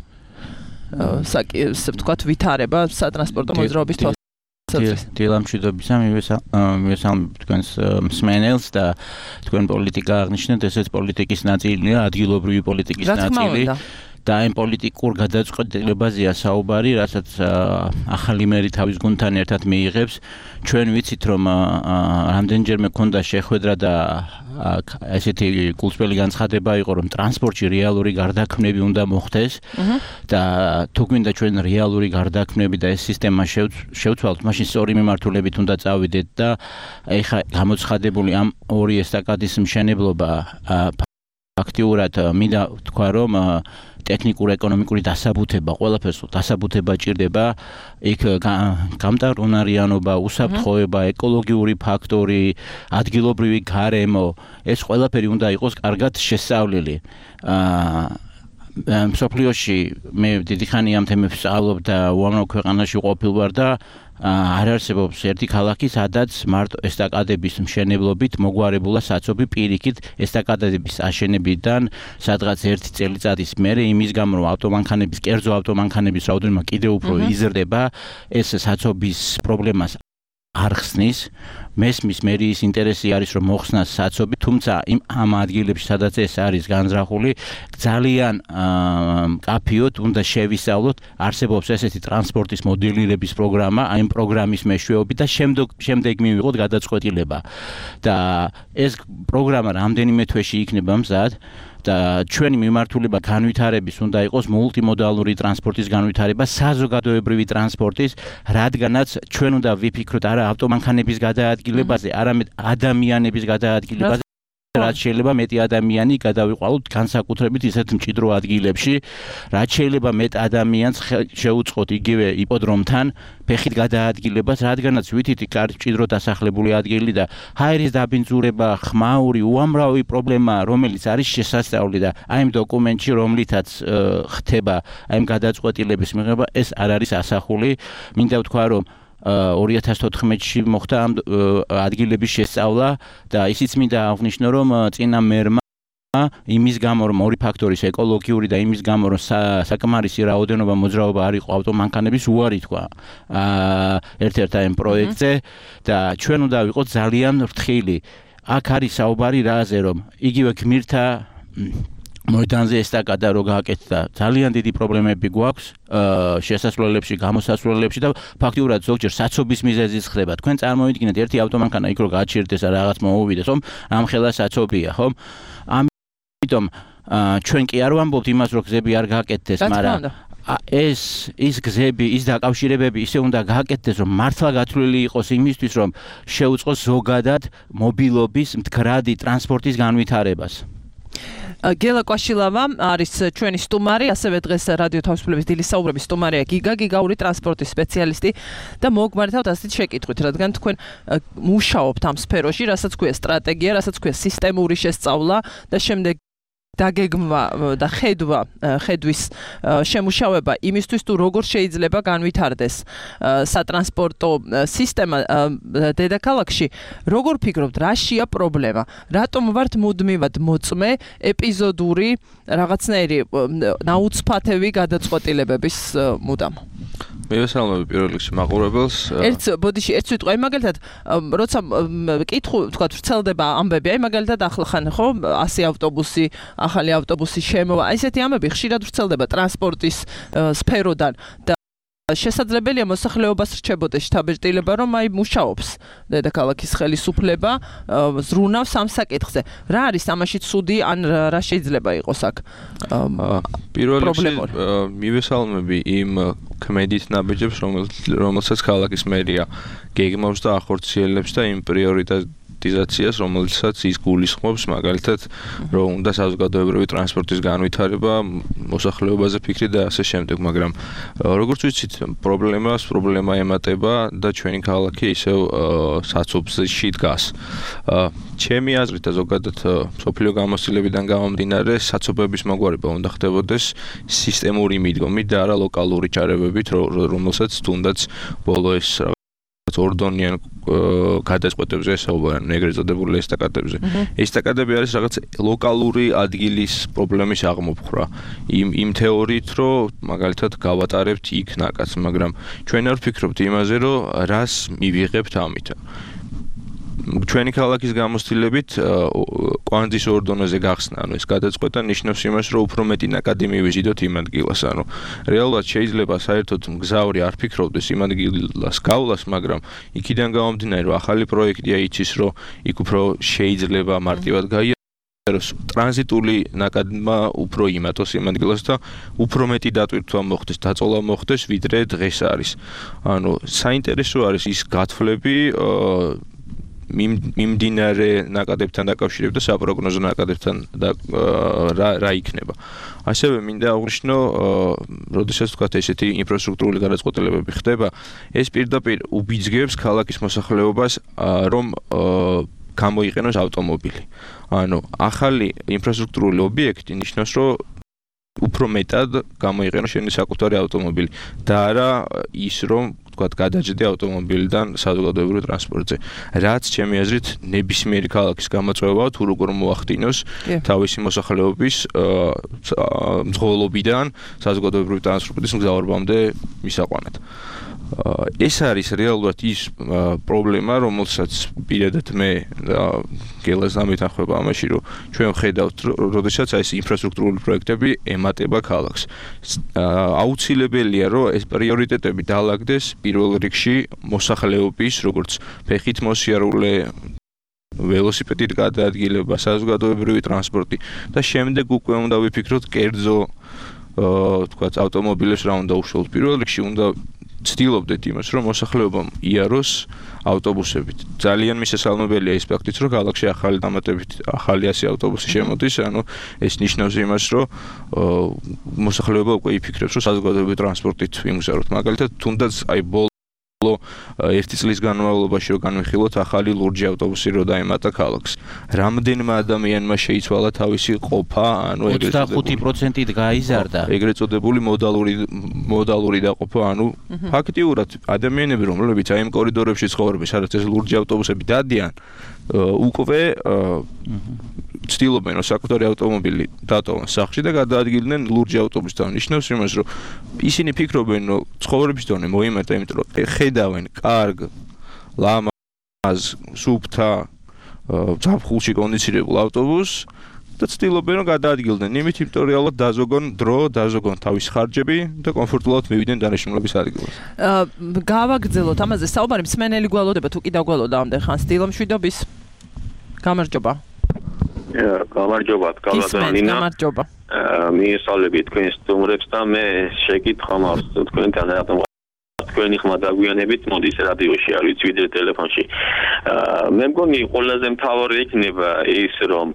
ესე ვთქვათ, ვითარება სატრანსპორტო მოძრაობის თვალსაზრისით. დილამშვიდობისა, მივესალმებ თქვენს მსმენელს და თქვენ პოლიტიკა აღნიშნეთ, ესეც პოლიტიკის ნაწილია, ადგილობრივი პოლიტიკის ნაწილი. და ამ პოლიტიკურ გადაწყვეტილებაზეა საუბარი, რასაც ახალი მერი თავის გუნდთან ერთად მიიღებს. ჩვენ ვიცით, რომ რამდენჯერმე ქონდა შეხვედრა და ესეთი გულწრფელი განცხადება იყო, რომ ტრანსპორტში რეალური გარდაქმნები უნდა მოხდეს და თუ გვინდა ჩვენ რეალური გარდაქმნები და ეს სისტემა შევცვალოთ, მაშინ სწორი მიმართულებით უნდა წავიდეთ და ეხა გამოცხადებული ამ ორი ესტაკადის მშენებლობა ფაქტიურად მინდა ვთქვა, რომ ტექნიკურ-ეკონომიკური დასაბუთება, ყველაფერს დასაბუთება ჭირდება, იქ გამტარუნარიანობა, უსაფრთხოება, ეკოლოგიური ფაქტორი, ადგილობრივი გარემო, ეს ყველაფერი უნდა იყოს კარგად შესწავლილი. მსოფლიოში მე დიდი ხანი ამ თემებს სწავლობ და უამრავ ქვეყანაში ყოფილ ვარ და არ არსებობს ერთი ქალაქი, სადაც მარტო ესტაკადების მშენებლობით მოგვარებულა საცობი პირიქით ესტაკადების აშენებიდან სადღაც 1 წელიწადის მერე იმის გამო, რომ კერძო ავტომანქანების რაოდენობა კიდევ უფრო იზრდება, ეს საცობის პრობლემას არ ხსნის. მესმის მერიის ინტერესი არის, რომ მოხსნას საცობი, თუმცა ამ ადგილებში, სადაც ეს არის განზრახული, ძალიან მკაფიოდ უნდა შევისწავლოთ, არსებობს ესეთი ტრანსპორტის მოდელირების პროგრამა, ამ პროგრამის მეშვეობით და შემდეგ მივიღოთ გადაწყვეტილება. და ეს პროგრამა რამდენიმე თვეში იქნება მზად. და ჩვენი მიმართულება განვითარების უნდა იყოს მულტიმოდალური ტრანსპორტის განვითარება, საზოგადოებრივი ტრანსპორტის, რადგანაც ჩვენ უნდა ვიფიქროთ არა ავტომანქანების გადაადგილებაზე, არამედ ადამიანების გადაადგილებაზე. რაც შეიძლება მეტი ადამიანი გადავიყვანოთ განსაკუთრებით ისეთ მჭიდრო ადგილებში, რაც შეიძლება მეტ ადამიანს შეუწყოთ იგივე იპოდრომთან ფეხით გადაადგილებას, რადგანაც ვითითი კარგი მჭიდრო დასახლებული ადგილი და ჰაერის დაბინძურება, ხმაური, უამრავი პრობლემა, რომელიც არის შესასწავლი და აი იმ დოკუმენტში, რომლითაც ხდება აი იმ გადაწყვეტილების მიღება, ეს არ არის ასახული. მინდა ვთქვა, რომ 2014-ში მოხდა ამ ადგილების შესწავლა და ისიც მინდა აღვნიშნო, რომ წინა მერმა იმის გამო, რომ ორი ფაქტორის ეკოლოგიური და იმის გამო, რომ საკმარისი რაოდენობა მოძრაობა არ იყო ავტომანქანების უარი თქვა ერთ-ერთ ამ პროექტზე და ჩვენ უნდა ვიყოთ ძალიან ფრთხილი. აქ არის საუბარი რაზე, რომ იგივე გმირთა მოედანზე ესტაკადა რო გააკეთდა, ძალიან დიდი პრობლემები გვაქვს შესასვლელებში, გამოსასვლელებში და ფაქტიურად ზოგჯერ საცობის მიზეზიც ხდება. თქვენ წარმოვიდგინეთ ერთი ავტომანქანა იქ რო გააჩერდეს და რაღაც მოუვიდეს, ხომ? ამხელა საცობია, ხომ? ამიტომ ჩვენ კი არ ვამბობთ იმას, რომ გზები არ გააკეთდეს, მაგრამ ის გზები, ის დაკავშირებები ისე უნდა გააკეთდეს, რომ მართლა გათვლილი იყოს იმისთვის, რომ შეუწყოს ზოგადად მობილობის, მდგრადი ტრანსპორტის განვითარებას. გელა კვაშილავა არის ჩვენი სტუმარი, ასევე დღეს რადიო თავისუფლების დილის საუბრების სტუმარია გიგაური ტრანსპორტის სპეციალისტი და მოგმართავთ ასეთ შეკითხვით, რადგან თქვენ მუშაობთ ამ სფეროში, რასაც ქვია სტრატეგია, რასაც ქვია სისტემური შესწავლა და შემდეგ დაგეგმვა და ხედვის შემუშავება იმისთვის, თუ როგორ შეიძლება განვითარდეს სატრანსპორტო სისტემა დედაქალაქში. როგორ ფიქრობთ, რაშია პრობლემა? რატომ ვართ მუდმივად მოწმე ეპიზოდური რაღაცნაირი ნაუცფათევი გადაწყვეტილებების მუდამ? მივესალმები პირველ რიგში მაყურებელს. ერთ სიტყვა, მაგალითად, როცა კითხვა, თქვა, ვრცელდება ამბები, აი მაგალითად ახლა ხან ხო 100 ავტობუსი, ახალი ავტობუსი შემოვა. ესეთი ამბები ხშირად ვრცელდება ტრანსპორტის სფეროდან და შესაძლებელია მოსახლეობას რჩებოდეს შთაბეჭდილება, რომ აი მუშაობს დედაქალაქის ხელისუფლება, ზრუნავს ამ საკითხზე. რა არის ამაში ცუდი, ან რა შეიძლება იყოს აქ? პირველ რიგში მივესალმები იმ ქმედით ნაბიჯებს, რომელსაც ქალაქის მერია გეგმავს და ახორციელებს და იმ პრიორიტეტიზაციას, რომელსაც ის გულისხმობს, მაგალითად, რომ უნდა საზოგადოებრივი ტრანსპორტის განვითარება, მოსახლეობაზე ფიქრი და ასე შემდეგ, მაგრამ როგორც ვიცით, პრობლემა ემატება და ჩვენი ქალაქი ისევ საცობში დგას. ჩემი აზრით და ზოგადად სოფლიო გამოცდილებიდან გამომდინარე, საცობების მოგვარება უნდა ხდებოდეს სისტემური მიდგომით და არა ლოკალური ჩარევებით, რომელსაც თუნდაც ბოლო ეს ორდონიან გადაწყვეტებზე საუბარია, ეგრეთ წოდებული ესტაკადებზე. ესტაკადები არის რაღაც ლოკალური ადგილის პრობლემის აღმოფხვრა. იმ თეორიით, რომ მაგალითად გავატარებთ იქ ნაკადს, მაგრამ ჩვენ არ ვფიქრობთ იმაზე, რომ რას მივიღებთ ამით. ჩვენი ქალაქის გამოცდილებით კვანძის ორდონეზე გახსნა, ანუ ეს გადაწყვეტა ნიშნავს იმას, რომ უფრო მეტი ნაკადი მივიზიდოთ იმ ადგილას, ანუ რეალურად შეიძლება საერთოდ მგზავრი არ ფიქრობდეს იმ ადგილას გავლას, მაგრამ იქიდან გამომდინარე, რომ ახალი პროექტია იცის, რომ იქ უფრო შეიძლება მარტივად გაიაროს, ტრანზიტული ნაკადმა უფრო იმატოს იმ ადგილას და უფრო მეტი დატვირთვა მოხდეს, დაწოლა მოხდეს, ვიდრე დღეს არის. ანუ საინტერესო არის ის გათვლები მიმდინარე ნაკადებთან დაკავშირებით და საპროგნოზო ნაკადებთან რა იქნება. ასევე მინდა აღვნიშნო, როდესაც თქვათ ესეთი ინფრასტრუქტურული გადაწყვეტილებები ხდება, ეს პირდაპირ უბიძგებს ქალაქის მოსახლეობას, რომ გამოიყენოს ავტომობილი. ანუ ახალი ინფრასტრუქტურული ობიექტი ნიშნავს, რომ უფრო მეტად გამოიყენოს შენი საკუთარი ავტომობილი და არა ის, რომ თქვათ გადაჯდე ავტომობილიდან საზოგადოებრივ ტრანსპორტზე. რაც ჩემი აზრით ნებისმიერი ქალაქის გამოწვევაა, თუ როგორ მოახდინოს თავისი მოსახლეობის მძღოლობიდან საზოგადოებრივ ტრანსპორტის მგზავრობამდე მისაყვანად. ეს არის რეალურად ის პრობლემა, რომელსაც პირადად მე გელას დამეთანხმება ამაში, რომ ჩვენ ვხედავთ, როდესაც ეს ინფრასტრუქტურული პროექტები ემატება ქალაქს. აუცილებელია, რომ ეს პრიორიტეტები დაალაგდეს პირველ რიგში მოსახლეობის, როგორც ფეხით მოსიარულე, ველოსიპედით გადაადგილება, საზოგადოებრივი ტრანსპორტი და შემდეგ უკვე უნდა ვიფიქროთ კერძო, თქვათ, ავტომობილებს რა უნდა უშუალოდ. პირველ რიგში უნდა ვცდილობდეთ იმას, რომ მოსახლეობამ იაროს ავტობუსებით. ძალიან მისასალმებელია ის ფაქტიც, რომ ქალაქში ახალი დამატებით ახალი 100 ავტობუსი შემოდის, ანუ ეს ნიშნავს იმას, რომ მოსახლეობა უკვე იფიქრებს, რომ საზოგადოებრივი ტრანსპორტით ვიმგზავროთ. მაგალითად, თუნდაც აი ერთი წლის განმავლობაში რომ განვიხილოთ ახალი ლურჯი ავტობუსი რო დაემატა ქალაქს. რამდენმა ადამიანმა შეიცვალა თავისი ყოფა, ანუ 25%-ით გაიზარდა. ეგრეთ წოდებული მოდალური დაყოფა, ანუ ფაქტიურად ადამიანები, რომლებიც აი იმ კორიდორებში ცხოვრობენ, სადაც ეს ლურჯი ავტობუსები დადიან, უკვე ცდილობენ, რომ საკუთარი ავტომობილი დატოვონ სახლში და გადაადგილდნენ ლურჯი ავტობუსთან. ნიშნავს იმას, რომ ისინი ფიქრობენ, რომ ცხოვრების დონე მოიმატა, იმიტომ რომ ხედავენ კარგ, ლამაზ, სუფთა, ზაფხულში კონდიცირებულ ავტობუსს და ცდილობენ, რომ გადაადგილდნენ იმით, იმიტომ რომ რეალურად დაზოგონ დრო, დაზოგონ თავის ხარჯები და კომფორტულად მივიდნენ დანიშნულების ადგილას. გავაგრძელოთ ამაზე საუბარი, მსმენელი გვალოდება თუ კი დაგვალოდა ამდენ ხანს დილომშვიდობის. გამარჯობა. გამარჯობა, გალადანინა. გამარჯობა. მიესალმები თქვენ სტუმრებს და მე შეკითხვა მაქვს თქვენთან რატომ თქვენი ხმა დაგვიანებით მოდის რადიოში არ ვიცი ვიდრე ტელეფონში. მე მგონი ყველაზე მთავარი იქნება ის რომ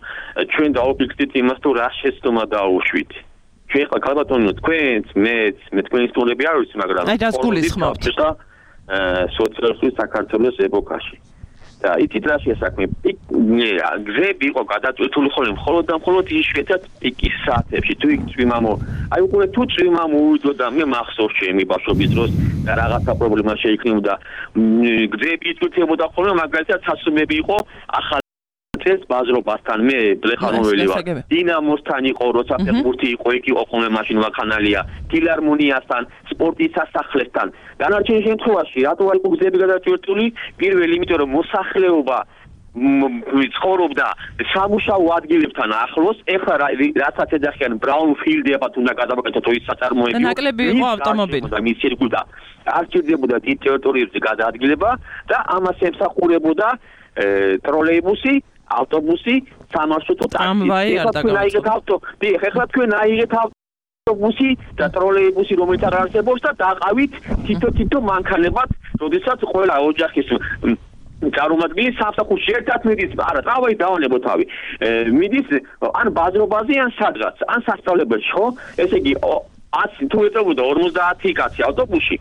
ჩვენ დავფიქრდით იმას თუ რა შეცდომა დაუშვით. ჩვენ ხა ქალბატონო თქვენც მე თქვენი სტუმრები არ ვიცი მაგრამ აი დას გულისხმობთ სოციალისტური საქართველოს ეპოქაში. და იცით რა შეასაქმე გზები იყო გადაწყვეტილი მხოლოდ და მხოლოდ იშვიათად პიკის საათებში თუ იქ წვიმამო აი უკვე თუ წვიმამო უვიდო და მე მახსოვს ჩემი ბავშვობის დროს და რაღაცა პრობლემა შეიქმნებოდა გზები იწვეთებოდა ხოლმე მაგალითად სასუმები იყო ახალ წელს ბაზრობასთან მე ბლეხანოველი ვარ დინამოსთან იყო როცა ფეხბურთი იყო იქ იყო ხოლმე მაშინ ვაქანალია ფილარმონიასთან სპორტის სასახლესთან განარჩენ შემთხვევაში რატო არ იყო გზები გადაწყვეტილი პირველი იმიტომ რომ მოსახლეობა ცხოვრობდა სამუშაო ადგილებთან ახლოს ეხლა რასაც ეძახიან ბრაუნფილდებად უნდა გადავაკეთოთ ის საწარმოები ნაკლები იყო ავტომობილი და მის სირკულტა არ ჭირდებოდა დიდ ტერიტორიებზე გადაადგილება და ამას ემსახურებოდა ტროლეიბუსი ავტობუსი სამარშრუტო ტრამვაი არ დაგავიწყოთ. ეხლა თქვენ აიღეთ ავტობუსი და ტროლეიბუსი რომელიც არ არსებობს და დაყავით თითო მანქანებად, როდესაც ყველა ოჯახის წარმომადგენელი სამსახურში ერთად მიდის, არა, ტრამვაი დავანებო თავი. მიდის ან ბაზრობაზე ან სადღაც, ან სასწავლებელში, ხო? ესე იგი თუ ეწევოდა 50 კაცი ავტობუსში,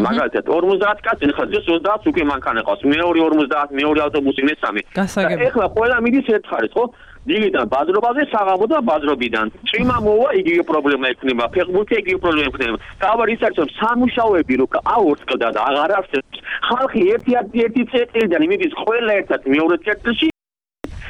მაგალითად 50 კაცი, ხა დღეს 30 უკვე მანქანა ყავს, მეორე 50, მეორე ავტობუსი, მესამე. ეხლა ყველა მიდის ერთ ხარეს, ხო? დილიდან ბაზრობაზე, საღამოდან ბაზრობიდან. წვიმა მოვა, იგივე პრობლემა ექნება, ფეხბურთი იგივე პრობლემა ექნება. თავარი ის არის, რომ სამუშაოები რო აორწყდა და აღარ არსებობს. ხალხი ერთი წელიდან მიდის ყველა ერთად მეორე წერტილში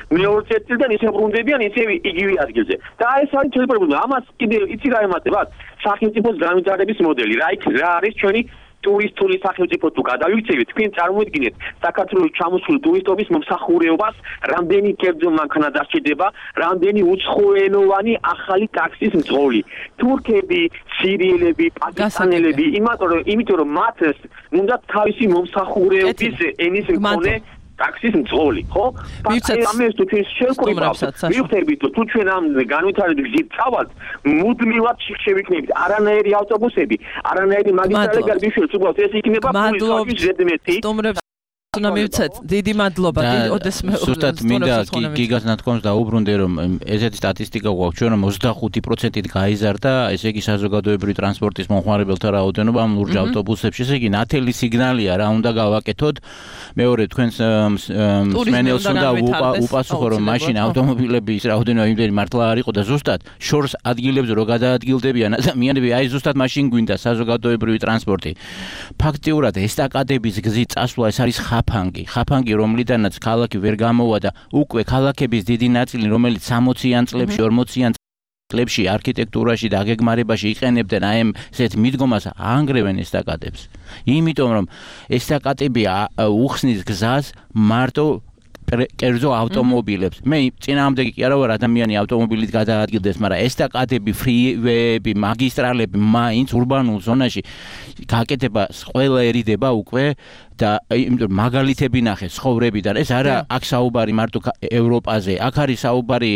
მეორე წერტილიდან ისე ბრუნდებიან ისე იგივე ადგილზე. და ეს არის ჩვენი პრობლემა. ამას კიდე იცი რა ემატებათ? სახელმწიფოს განვითარების მოდელი. რა არის ჩვენი ტურისტული სახელმწიფო თუ გადავიქცევით, თქვენ წარმოიდგინეთ საქართველოს ჩამოსული ტურისტობის მომსახურებას, რამდენი კერძო მანქანა დასჭირდება, რამდენი უცხოენოვანი ახალი ტაქსის მძღოლი. თურქები, სირიელები, პაკისტანელები, იმიტომ რომ მათ უნდა თავისი მომსახურების ენის მქონე ტაქსის მძღოლი, ხო? ამას თუ ჩვენ შევკრიბავთ, მივხვდებით თუ ჩვენ ამ განვითარების გზით წავალთ, მუდმივად შევიქნებით არანაირი ავტობუსები, არანაირი მაგისტრალი გარბიშვილი, უბრალოდ ეს იქნება ფულის ზედმეტი. უნდა მივცეთ, დიდი მადლობა, ოდეს მე ზუსტად მინდა გიგას ნათქვამს დაუბრუნდე რომ ესეთი სტატისტიკა გვაქვს ჩვენ რომ 25%-ით გაიზარდა ესე იგი საზოგადოებრივი ტრანსპორტის მომხმარებელთა რაოდენობა ამ ლურჯ ავტობუსებში ესე იგი ნათელი სიგნალია რა უნდა გავაკეთოთ მეორე თქვენს მსმენელს უნდა უპასუხო რომ მაშინ ავტომობილების რაოდენობა იმდენი მართლა არ იყო და ზუსტად შორს ადგილებზე რო გადაადგილდებიან ადამიანები აი ზუსტად მაშინ გვინდა საზოგადოებრივი ტრანსპორტი ფაქტიურად ესტაკადების გზით წასვლა ეს არის ხაფანგი რომლიდანაც ქალაქი ვერ გამოვა და უკვე ქალაქების დიდი ნაწილი რომელიც 60-იან წლებში 40-იან წლებში არქიტექტურაში და აგეგმარებაში იყენებდნენ აი ესეთ მიდგომას აანგრევენ ესტაკადებს იმიტომ რომ ესტაკადები უხსნის გზას მარტო კერძო ავტომობილებს. მე წინააღმდეგი კი არა ვარ ადამიანი ავტომობილით გადაადგილდეს, მაგრამ ესტაკადები, ფრივეები, მაგისტრალები მაინც ურბანულ ზონაში გაკეთება ყველაერიდება უკვე და იმიტომ მაგალითები ნახე ცხოვრებიდან. ეს არა აქ საუბარი მარტო ევროპაზე, აქ არის საუბარი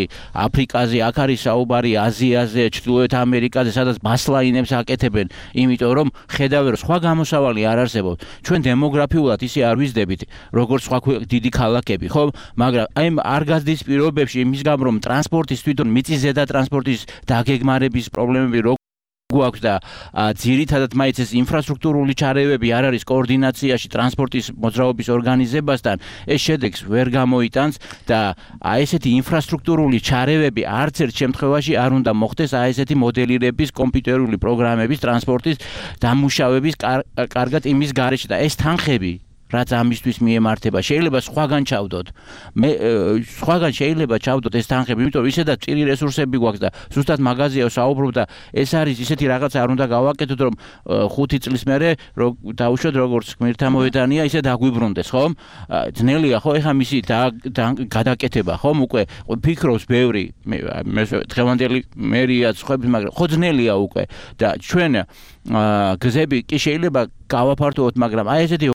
აფრიკაზე, აქ არის საუბარი აზიაზე, ჩრდილოეთ ამერიკაზე, სადაც ბასლაინებს აკეთებენ, იმიტომ რომ ხედავენ რომ სხვა გამოსავალი არ არსებობს. ჩვენ დემოგრაფიულად ისე არ ვიზრდებით, როგორც სხვა დიდი ქალაქები, ხო? მაგრამ აი არ გაზრდის პირობებში იმის გამო რომ ტრანსპორტის თვითონ მიწისზედა ტრანსპორტის დაგეგმარების პრობლემები გვაქვს და ძირითადად მაინც ეს ინფრასტრუქტურული ჩარევები არ არის კოორდინაციაში ტრანსპორტის მოძრაობის ორგანიზებასთან, ეს შედეგს ვერ გამოიტანს და აი ესეთი ინფრასტრუქტურული ჩარევები არც ერთ შემთხვევაში არ უნდა მოხდეს აი ესეთი მოდელირების კომპიუტერული პროგრამების ტრანსპორტის დამუშავების კარგად იმის გარეშე და ეს თანხები რაც ამისთვის მიემართება. შეიძლება სხვაგან ჩავდოთ. მე სხვაგან შეიძლება ჩავდოთ ეს თანხები, იმიტომ რომ ისედაც წირი რესურსები გვაქვს და ზუსტად მაგაზია საუბრობ და ეს არის ისეთი რაღაც არ უნდა გავაკეთოთ, რომ 5 წლის მერე დავუშვათ როგორც გმირთა მოედანია, ისე დაგვიბრუნდეს, ხომ? ძნელია ხო ეხა მისი გადაკეთება, ხომ? უკვე ფიქრობს ბევრი მე დღევანდელი მერიაც ხვებს, მაგრამ ხო ძნელია უკვე და ჩვენ გზები კი შეიძლება გავაფართოვოთ, მაგრამ აი ესეთი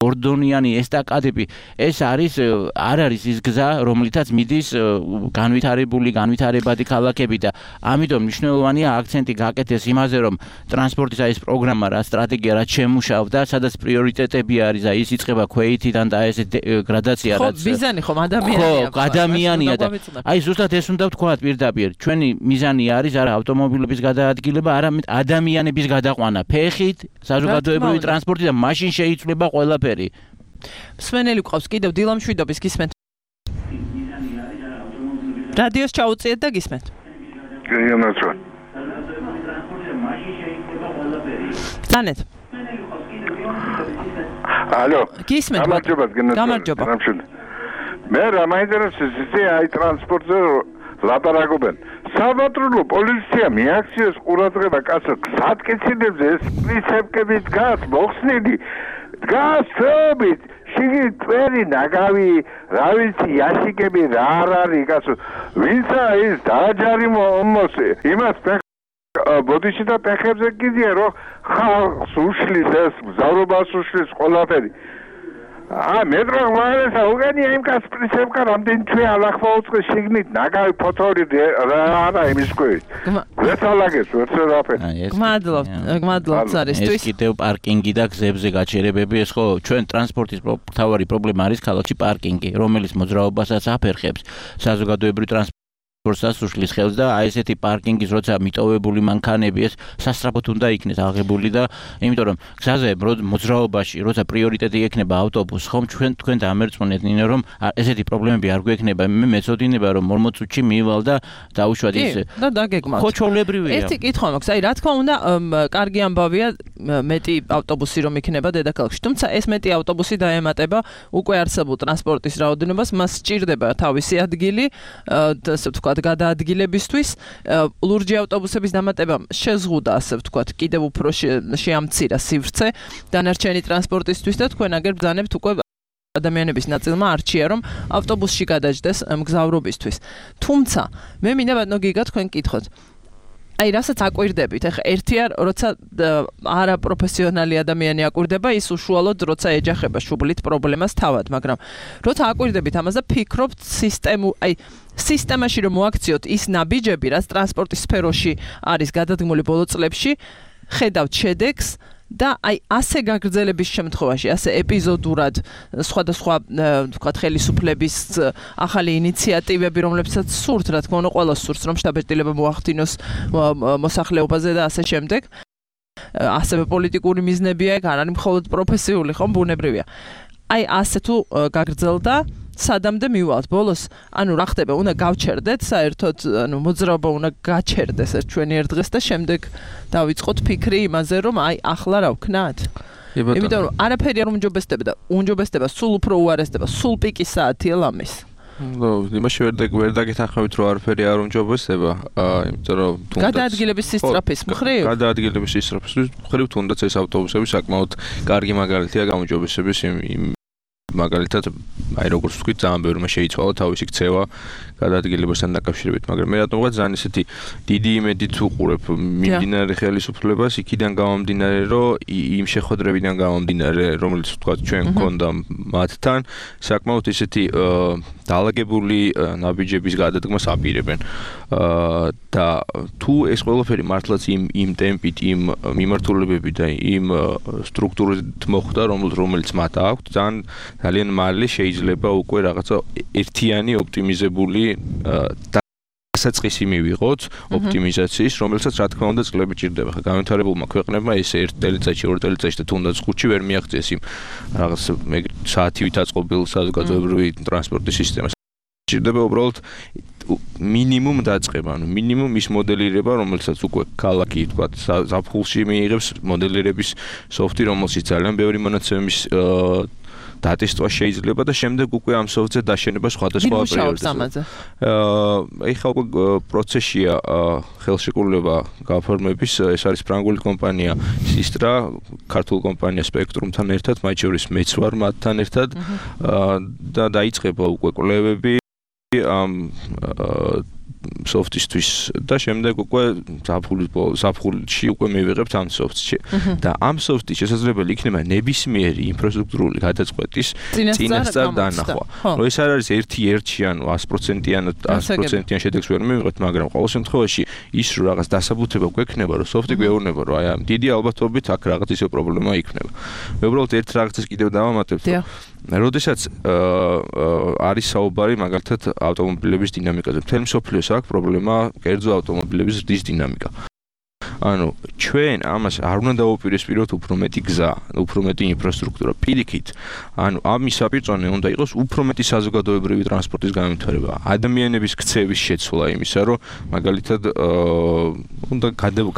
ორდონიანი ესტაკადები ეს არის არ არის ის გზა რომლითაც მიდის განვითარებადი ქალაქები და ამიტომ მნიშვნელოვანია აქცენტი გაკეთდეს იმაზე რომ ტრანსპორტის აი ეს პროგრამა რა სტრატეგია რაც შემუშავდა სადაც პრიორიტეტები არის აი ის იწყება ქვეითიდან და ეს გრადაცია რაც ხო მიზანი ხომ ადამიანია ხო ადამიანია და აი ზუსტად ეს უნდა ვთქვათ პირდაპირ ჩვენი მიზანი არის არა ავტომობილების გადაადგილება არამედ ადამიანების გადაყვანა ფეხით საზოგადოებრივი ტრანსპორტი და მაშინ შეიცვლება ყველა მსმენელი გვყავს კიდევ დილამშვიდობის გისმენთ. რადიოს ჩაუწიეთ და გისმენთ. გიამაცვა. თანეთ. ალო. გისმენთ. გამარჯობა. მე რა მაინტერესებს ისე აი ტრანსპორტზე ლაპარაკობენ. საპატრულო პოლიცია მიაქციოს ყურადღება კაცო გზატკეცილებზე ეს პრინციპები დგას მოხსნილი გასწრებით შიგნით წვერი ნაგავი რა ვიცი იაშიკები რა არის კაცო ვინცა ის დააჯარი მომოსე იმას ბოდიში და პეხებზე კიდია რომ ხალხს უშლის ეს მგზავრობას უშლის ყველაფერი მეტრო ვარესა უგანია იმ კაც პრინციპკა რამდენი თვე ალახვა უწყე შიგნით ნაგავი ფოთორი რა იმის კვი ვეთალაგეს ვერცერაფერი გმადლობთ არისთვის ეს კიდევ პარკინგი და გზებზე გაჩერებები ეს ხო ჩვენ ტრანსპორტის მთავარი პრობლემა არის ქალაქში პარკინგი რომელიც მოძრაობასაც აფერხებს საზოგადოებრივ ტრანსპორტს უშლის ხელს და აი ესეთი პარკინგის როცა მიტოვებული მანქანები ეს სასწრაფოდ უნდა იქნეს აღებული და იმიტომ რომ გზაზე მოძრაობაში როცა პრიორიტეტი ექნება ავტობუსს ხომ თქვენ დამერწმუნეთ ნინო რომ ესეთი პრობლემები არ გვექნება მე მეწოდინება რომ 40 წუთში მივალ და დაუშვათ ის და დაგეგმავთ ხო ჩვეულებრივია ერთი კითხვა მაქვს აი რა თქმა უნდა კარგი ამბავია მეტი ავტობუსი რომ იქნება დედაქალაქში თუმცა ეს მეტი ავტობუსი დაემატება უკვე არსებულ ტრანსპორტის რაოდენობას მას სჭირდება თავისი ადგილი ასე ვთქვათ გადაადგილებისთვის ლურჯი ავტობუსების დამატებამ შეზღუდა ასე ვთქვათ კიდევ უფრო შეამცირა სივრცე დანარჩენი ტრანსპორტისთვის და თქვენ აგერ ბრძანებთ უკვე ადამიანების ნაწილმა არჩია რომ ავტობუსში გადაჯდეს მგზავრობისთვის თუმცა მე მინდა ბატონო გიგა თქვენ კითხოთ აი რასაც აკვირდებით ახლა ერთია როცა არაპროფესიონალი ადამიანი აკვირდება ის უშუალოდ როცა ეჯახება შუბლით პრობლემას თავად მაგრამ როცა აკვირდებით ამას და ფიქრობთ სისტემაში რომ მოაქციოთ ის ნაბიჯები რაც ტრანსპორტის სფეროში არის გადადგმული ბოლო წლებში ხედავთ შედეგს და აი ასე გაგრძელების შემთხვევაში ასე ეპიზოდურად სხვადასხვა ვთქვათ ხელისუფლების ახალი ინიციატივები რომლებსაც სურთ რა თქმა უნდა ყველას სურს რომ შტაბ-ბეჭდილება მოახდინოს მოსახლეობაზე და ასე შემდეგ ასევე პოლიტიკური მიზნებია არ არის მხოლოდ პროფესიული ხომ ბუნებრივია აი ასე თუ გაგრძელდა სადამდე მივალთ ბოლოს ანუ რა ხდება უნდა გავჩერდეთ საერთოდ ანუ მოძრაობა უნდა გაჩერდეს ეს ჩვენი ერთ დღეს და შემდეგ დავიწყოთ ფიქრი იმაზე რომ აი ახლა რა ვქნათ იმიტომ რომ არაფერი არ უმჯობესდება სულ უფრო უარესდება სულ პიკის საათია ლამის იმაში ვერ დაგეთანხმებით რომ არაფერი არ უმჯობესდება იმიტომ რომ გადაადგილების სისწრაფის მხრივ გადაადგილების სისწრაფის მხრივ თუნდაც ეს ავტობუსები საკმაოდ კარგი მაგალითია გაუმჯობესების მაგალითად აი როგორც ვთქვით ძალიან ბევრმა შეიცვალა თავისი ქცევა გადაადგილებასთან დაკავშირებით, მაგრამ მე რატომღაც ძალიან ისეთი დიდი იმედით ვუყურებ მიმდინარე ხელისუფლებას იქიდან გამომდინარე, რომ იმ შეხვედრებიდან გამომდინარე, რომელიც ვთქვათ ჩვენ გქონდა მათთან, საკმაოდ ისეთი დაალაგებული ნაბიჯების გადადგმას აპირებენ. და თუ ეს ყველაფერი მართლაც იმ ტემპით, იმ მიმართულებებით და იმ სტრუქტურით მოხდა, რომელიც მათ აქვთ, ძალიან მალე შეიძლება უკვე რაღაცა ერთიანი ოპტიმიზებული დასაწყისი მივიღოთ ოპტიმიზაციის, რომელსაც რა თქმა უნდა წლები ჭირდება. ხა განვითარებულმა ქვეყნებმა ეს 1 წელიწადში, 2 წელიწადში და თუნდაც 5-ში ვერ მიაღწიეს იმ რაღაც საათივით აწყობილ საზოგადოებრივი ტრანსპორტის სისტემას. ჭირდება უბრალოდ მინიმუმ დაწყება, ანუ მინიმუმ ის მოდელირება, რომელსაც უკვე ქალაქი, თქვა, ზაფხულში მიიღებს მოდელირების სოფტი, რომელშიც ძალიან ბევრი მონაცემის დატესტვა შეიძლება და შემდეგ უკვე ამ სოფტზე დაშენება სხვადასხვა პერიოდში. ეხლა უკვე პროცესია ხელშეკრულება გაფორმების, ეს არის ფრანგული კომპანია Sistra, ქართულ კომპანია Spectrum-თან ერთად, მათ შორის მეც ვარ მათთან ერთად და დაიწყება უკვე კვლევები ამ სოფტისთვის და შემდეგ უკვე ზაფხულში უკვე მივიღებთ ამ სოფტში და ამ სოფტის შესაძლებელი იქნება ნებისმიერი ინფრასტრუქტურული გადაწყვეტის წინასწარ დანახვა. ეს არ არის ერთი ან 100%-იან შედეგს ვერ მივიღებთ, მაგრამ ყოველ შემთხვევაში ის რომ რაღაც დასაბუთება გვექნება, რომ სოფტი გვეუბნება, რომ აი ამ დიდი ალბათობით აქ რაღაც ისე პრობლემა იქნება. მე უბრალოდ ერთ რაღაცას კიდევ დავამატებ, როდესაც არის საუბარი მაგალითად ავტომობილების დინამიკაზე, მთელი მსოფლიოს აქვს პრობლემა კერძო ავტომობილების ზრდის დინამიკა. ანუ ჩვენ ამას არ უნდა დავუპირისპიროთ უფრო მეტი გზა, უფრო მეტი ინფრასტრუქტურა. პირიქით, ანუ ამის საპირწონე უნდა იყოს უფრო მეტი საზოგადოებრივი ტრანსპორტის განვითარება, ადამიანების ქცევის შეცვლა იმისა, რომ მაგალითად უნდა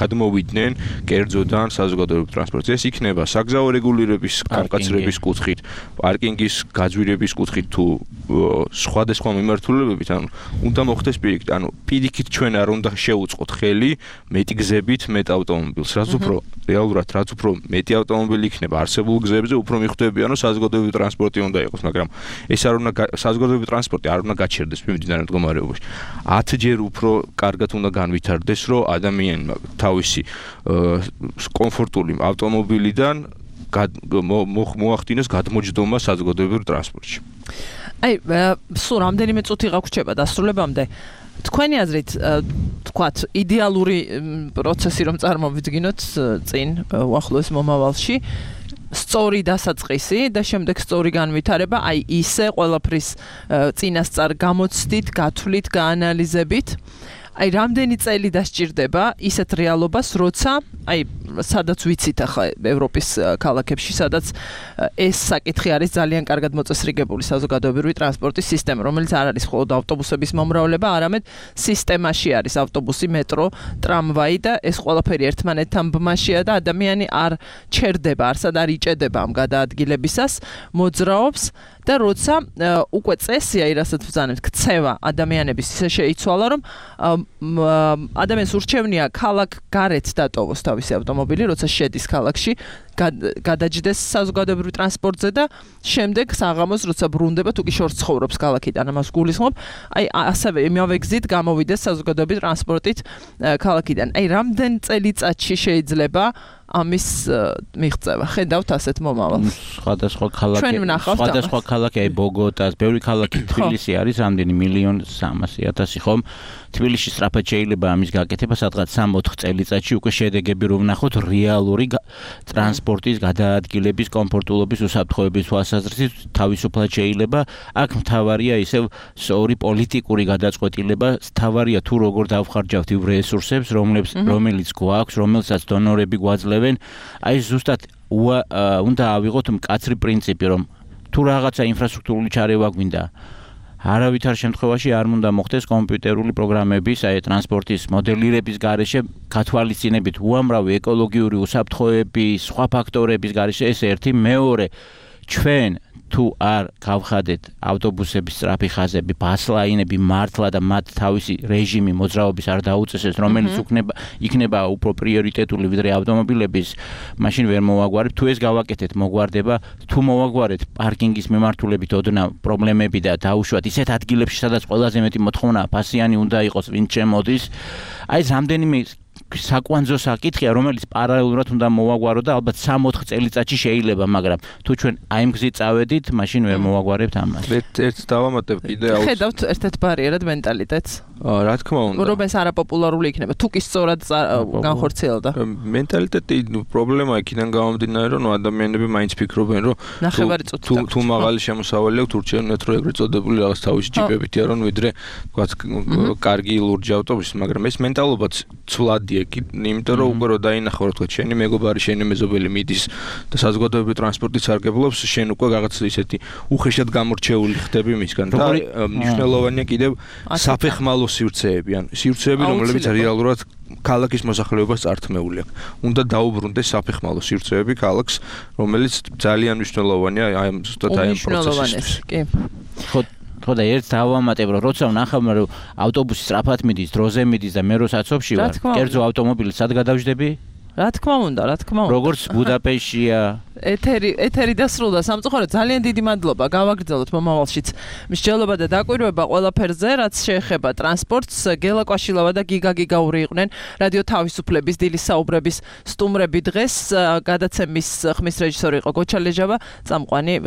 გადმოვიდნენ კერძოდან საზოგადოებრივ ტრანსპორტზე. ეს იქნება საგზაო რეგულირების გამკაცრების კუთხით, პარკინგის გაძვირების კუთხით თუ სხვადასხვა მიმართულებებით, ანუ უნდა მოხდეს პირიქით, ანუ პირიქით ჩვენ არ უნდა შევუწყოთ ხელი მეტი გზებით მეტ ავტომობილს, რაც უფრო რეალურად, რაც უფრო მეტი ავტომობილი იქნება არსებულ გზებზე, უფრო მიხვდებიან, რომ საზოგადოებრივი ტრანსპორტი უნდა იყოს, მაგრამ ეს არ უნდა საზოგადოებრივი ტრანსპორტი არ უნდა გაჩერდეს მიმდინარე მდგომარეობაში. 10 ჯერ უფრო კარგად უნდა განვითარდეს, რომ ადამიანმა თავისი კომფორტული ავტომობილიდან მოახდინოს გადმოჯდომა საზოგადოებრივ ტრანსპორტში. აი, სულ რამდენიმე წუთი გაგვრჩება დასრულებამდე. თქვენი აზრით, თქვათ, იდეალური პროცესი რომ წარმოვიდგინოთ წინ უახლოეს მომავალში, სწორი დასაწყისი და შემდეგ სწორი განვითარება, აი ისე ყველაფრის წინასწარ გამოცდით, გათვლით, გაანალიზებით. აი რამდენი წელი დასჭირდება ისეთ რეალობას, როცა აი სადაც ვიცით ახლა ევროპის ქალაქებში, სადაც ეს საკითხი არის ძალიან კარგად მოწესრიგებული საზოგადოებრივი ტრანსპორტის სისტემა, რომელიც არ არის მხოლოდ ავტობუსების მომრავლება, არამედ სისტემაში არის ავტობუსი, მეტრო, ტრამვაი და ეს ყველაფერი ერთმანეთთან ბმაშია და ადამიანი არ ჩერდება, არსად არ იჭედება ამ გადაადგილებისას, მოძრაობს და როცა უკვე წესია, რასაც ვზანებთ, ქცევა ადამიანების ისე შეიცვალა, რომ ადამიანს ურჩევნია ქალაქ გარეთ დატოვოს თავისი ავტომობილი, როცა შედის ქალაქში, გადაჯდეს საზოგადოებრივ ტრანსპორტზე და შემდეგ საღამოს როცა ბრუნდება, თუ კი შორს ცხოვრობს ქალაქიდან, ამას გულისხმობ, აი ასევე იმავე გზით გამოვიდეს საზოგადოებრივ ტრანსპორტით ქალაქიდან. აი რამდენ წელიწადში შეიძლება ამის მიღწევა? ხედავთ ასეთ მომავალს. სხვადასხვა ქალაქი, აი ბოგოტას, ბევრი ქალაქი, თბილისი არის რამდენი 1,300,000 ხომ? თბილისში სწრაფად შეიძლება ამის გაკეთება, სადღაც 3-4 წელიწადში უკვე შედეგები რომ ვნახოთ რეალური ტრანსპორტის გადაადგილების, კომფორტულობის, უსაფრთხოების თვალსაზრისით თავისუფლად შეიძლება. აქ მთავარია ისევ სწორი პოლიტიკური გადაწყვეტილება, მთავარია თუ როგორ დავხარჯავთ იმ რესურსებს, რომელიც გვაქვს, რომელსაც დონორები გვაძლევენ. აი ზუსტად უნდა ავიღოთ მკაცრი პრინციპი, რომ თუ რაღაცა ინფრასტრუქტურული ჩარევა გვინდა, არავითარ შემთხვევაში არ უნდა მოხდეს კომპიუტერული პროგრამების, აი ტრანსპორტის მოდელირების გარეშე გათვალისწინებით უამრავი ეკოლოგიური უსაფრთხოების, სხვა ფაქტორების გარეშე. ეს ერთი, მეორე, ჩვენ თუ არ გავხადეთ ავტობუსების სწრაფი ხაზები, ბასლაინები მართლა და მათ თავისი რეჟიმი მოძრაობის არ დაუწესეს, რომელიც იქნება უფრო პრიორიტეტული ვიდრე ავტომობილების, მაშინ ვერ მოვაგვარებთ. თუ ეს გავაკეთეთ, მოგვარდება. თუ მოვაგვარეთ პარკინგის მიმართულებით ოდნა პრობლემები და დაუშვათ ისეთ ადგილებში, სადაც ყველაზე მეტი მოთხოვნა ფასიანი უნდა იყოს, ვინც შემოდის. აი ეს რამდენიმე საკვანძო საკითხია, რომელიც პარალელურად უნდა მოვაგვარო და ალბათ 3-4 წელიწადში შეიძლება, მაგრამ თუ ჩვენ აი ამ გზით წავედით, მაშინ ვერ მოვაგვარებთ ამას. ერთ დავამატებ კიდე ხედავთ ერთ-ერთ ბარიერად მენტალიტეტს. რა თქმა უნდა. რომ ეს არაპოპულარული იქნება, თუ კი სწორად განხორციელდა. მენტალიტეტი პრობლემა იქიდან გამომდინარე, რომ ადამიანები მაინც ფიქრობენ, რომ თუ მაღალი შემოსავალი აქვს, ურჩევნიათ რომ ეგრეთ წოდებული რაღაც თავისი ჯიპებითია, რომ ვიდრე თქვათ კარგი ლურჯი ავტობუსი, მაგრამ ეს მენტალობაც ცვლადია, იმიტომ რომ უკვე რო დაინახო, რომ თქვათ შენი მეგობარი, შენი მეზობელი მიდის და საზოგადოებრივი ტრანსპორტით სარგებლობს, შენ უკვე რაღაც ისეთი უხეშად გამორჩეული ხდები მისგან და მნიშვნელოვანია კიდევ საფეხმალო სივრცეები, ან სივრცეები, რომლებიც რეალურად ქალაქის მოსახლეობას წართმეული აქვს. უნდა დაუბრუნდეს საფეხმალო სივრცეები ქალაქს, რომელიც ძალიან მნიშვნელოვანია აი ზუსტად აი ამ პროცესისთვის. კი. ხო და ერთ დავამატებ, რომ როცა ვნახავ, რომ ავტობუსი სწრაფად მიდის, დროზე მიდის და მე რო საცობში ვარ, კერძო ავტომობილი სად გადავждები? რა თქმა უნდა. როგორც ბუდაპეშტია. ეთერი დასრულდა. სამწუხაროდ ძალიან დიდი მადლობა. გავაგრძელოთ მომავალშიც მსჯელობა და დაკვირვება ყველაფერზე, რაც შეეხება ტრანსპორტს. გელა კვაშილავა და გიგა გიგაური იყვნენ რადიო თავისუფლების დილის საუბრების სტუმრები დღეს. გადაცემის ხმის რეჟისორი იყო გოჩა ლეჟავა, წამყვანი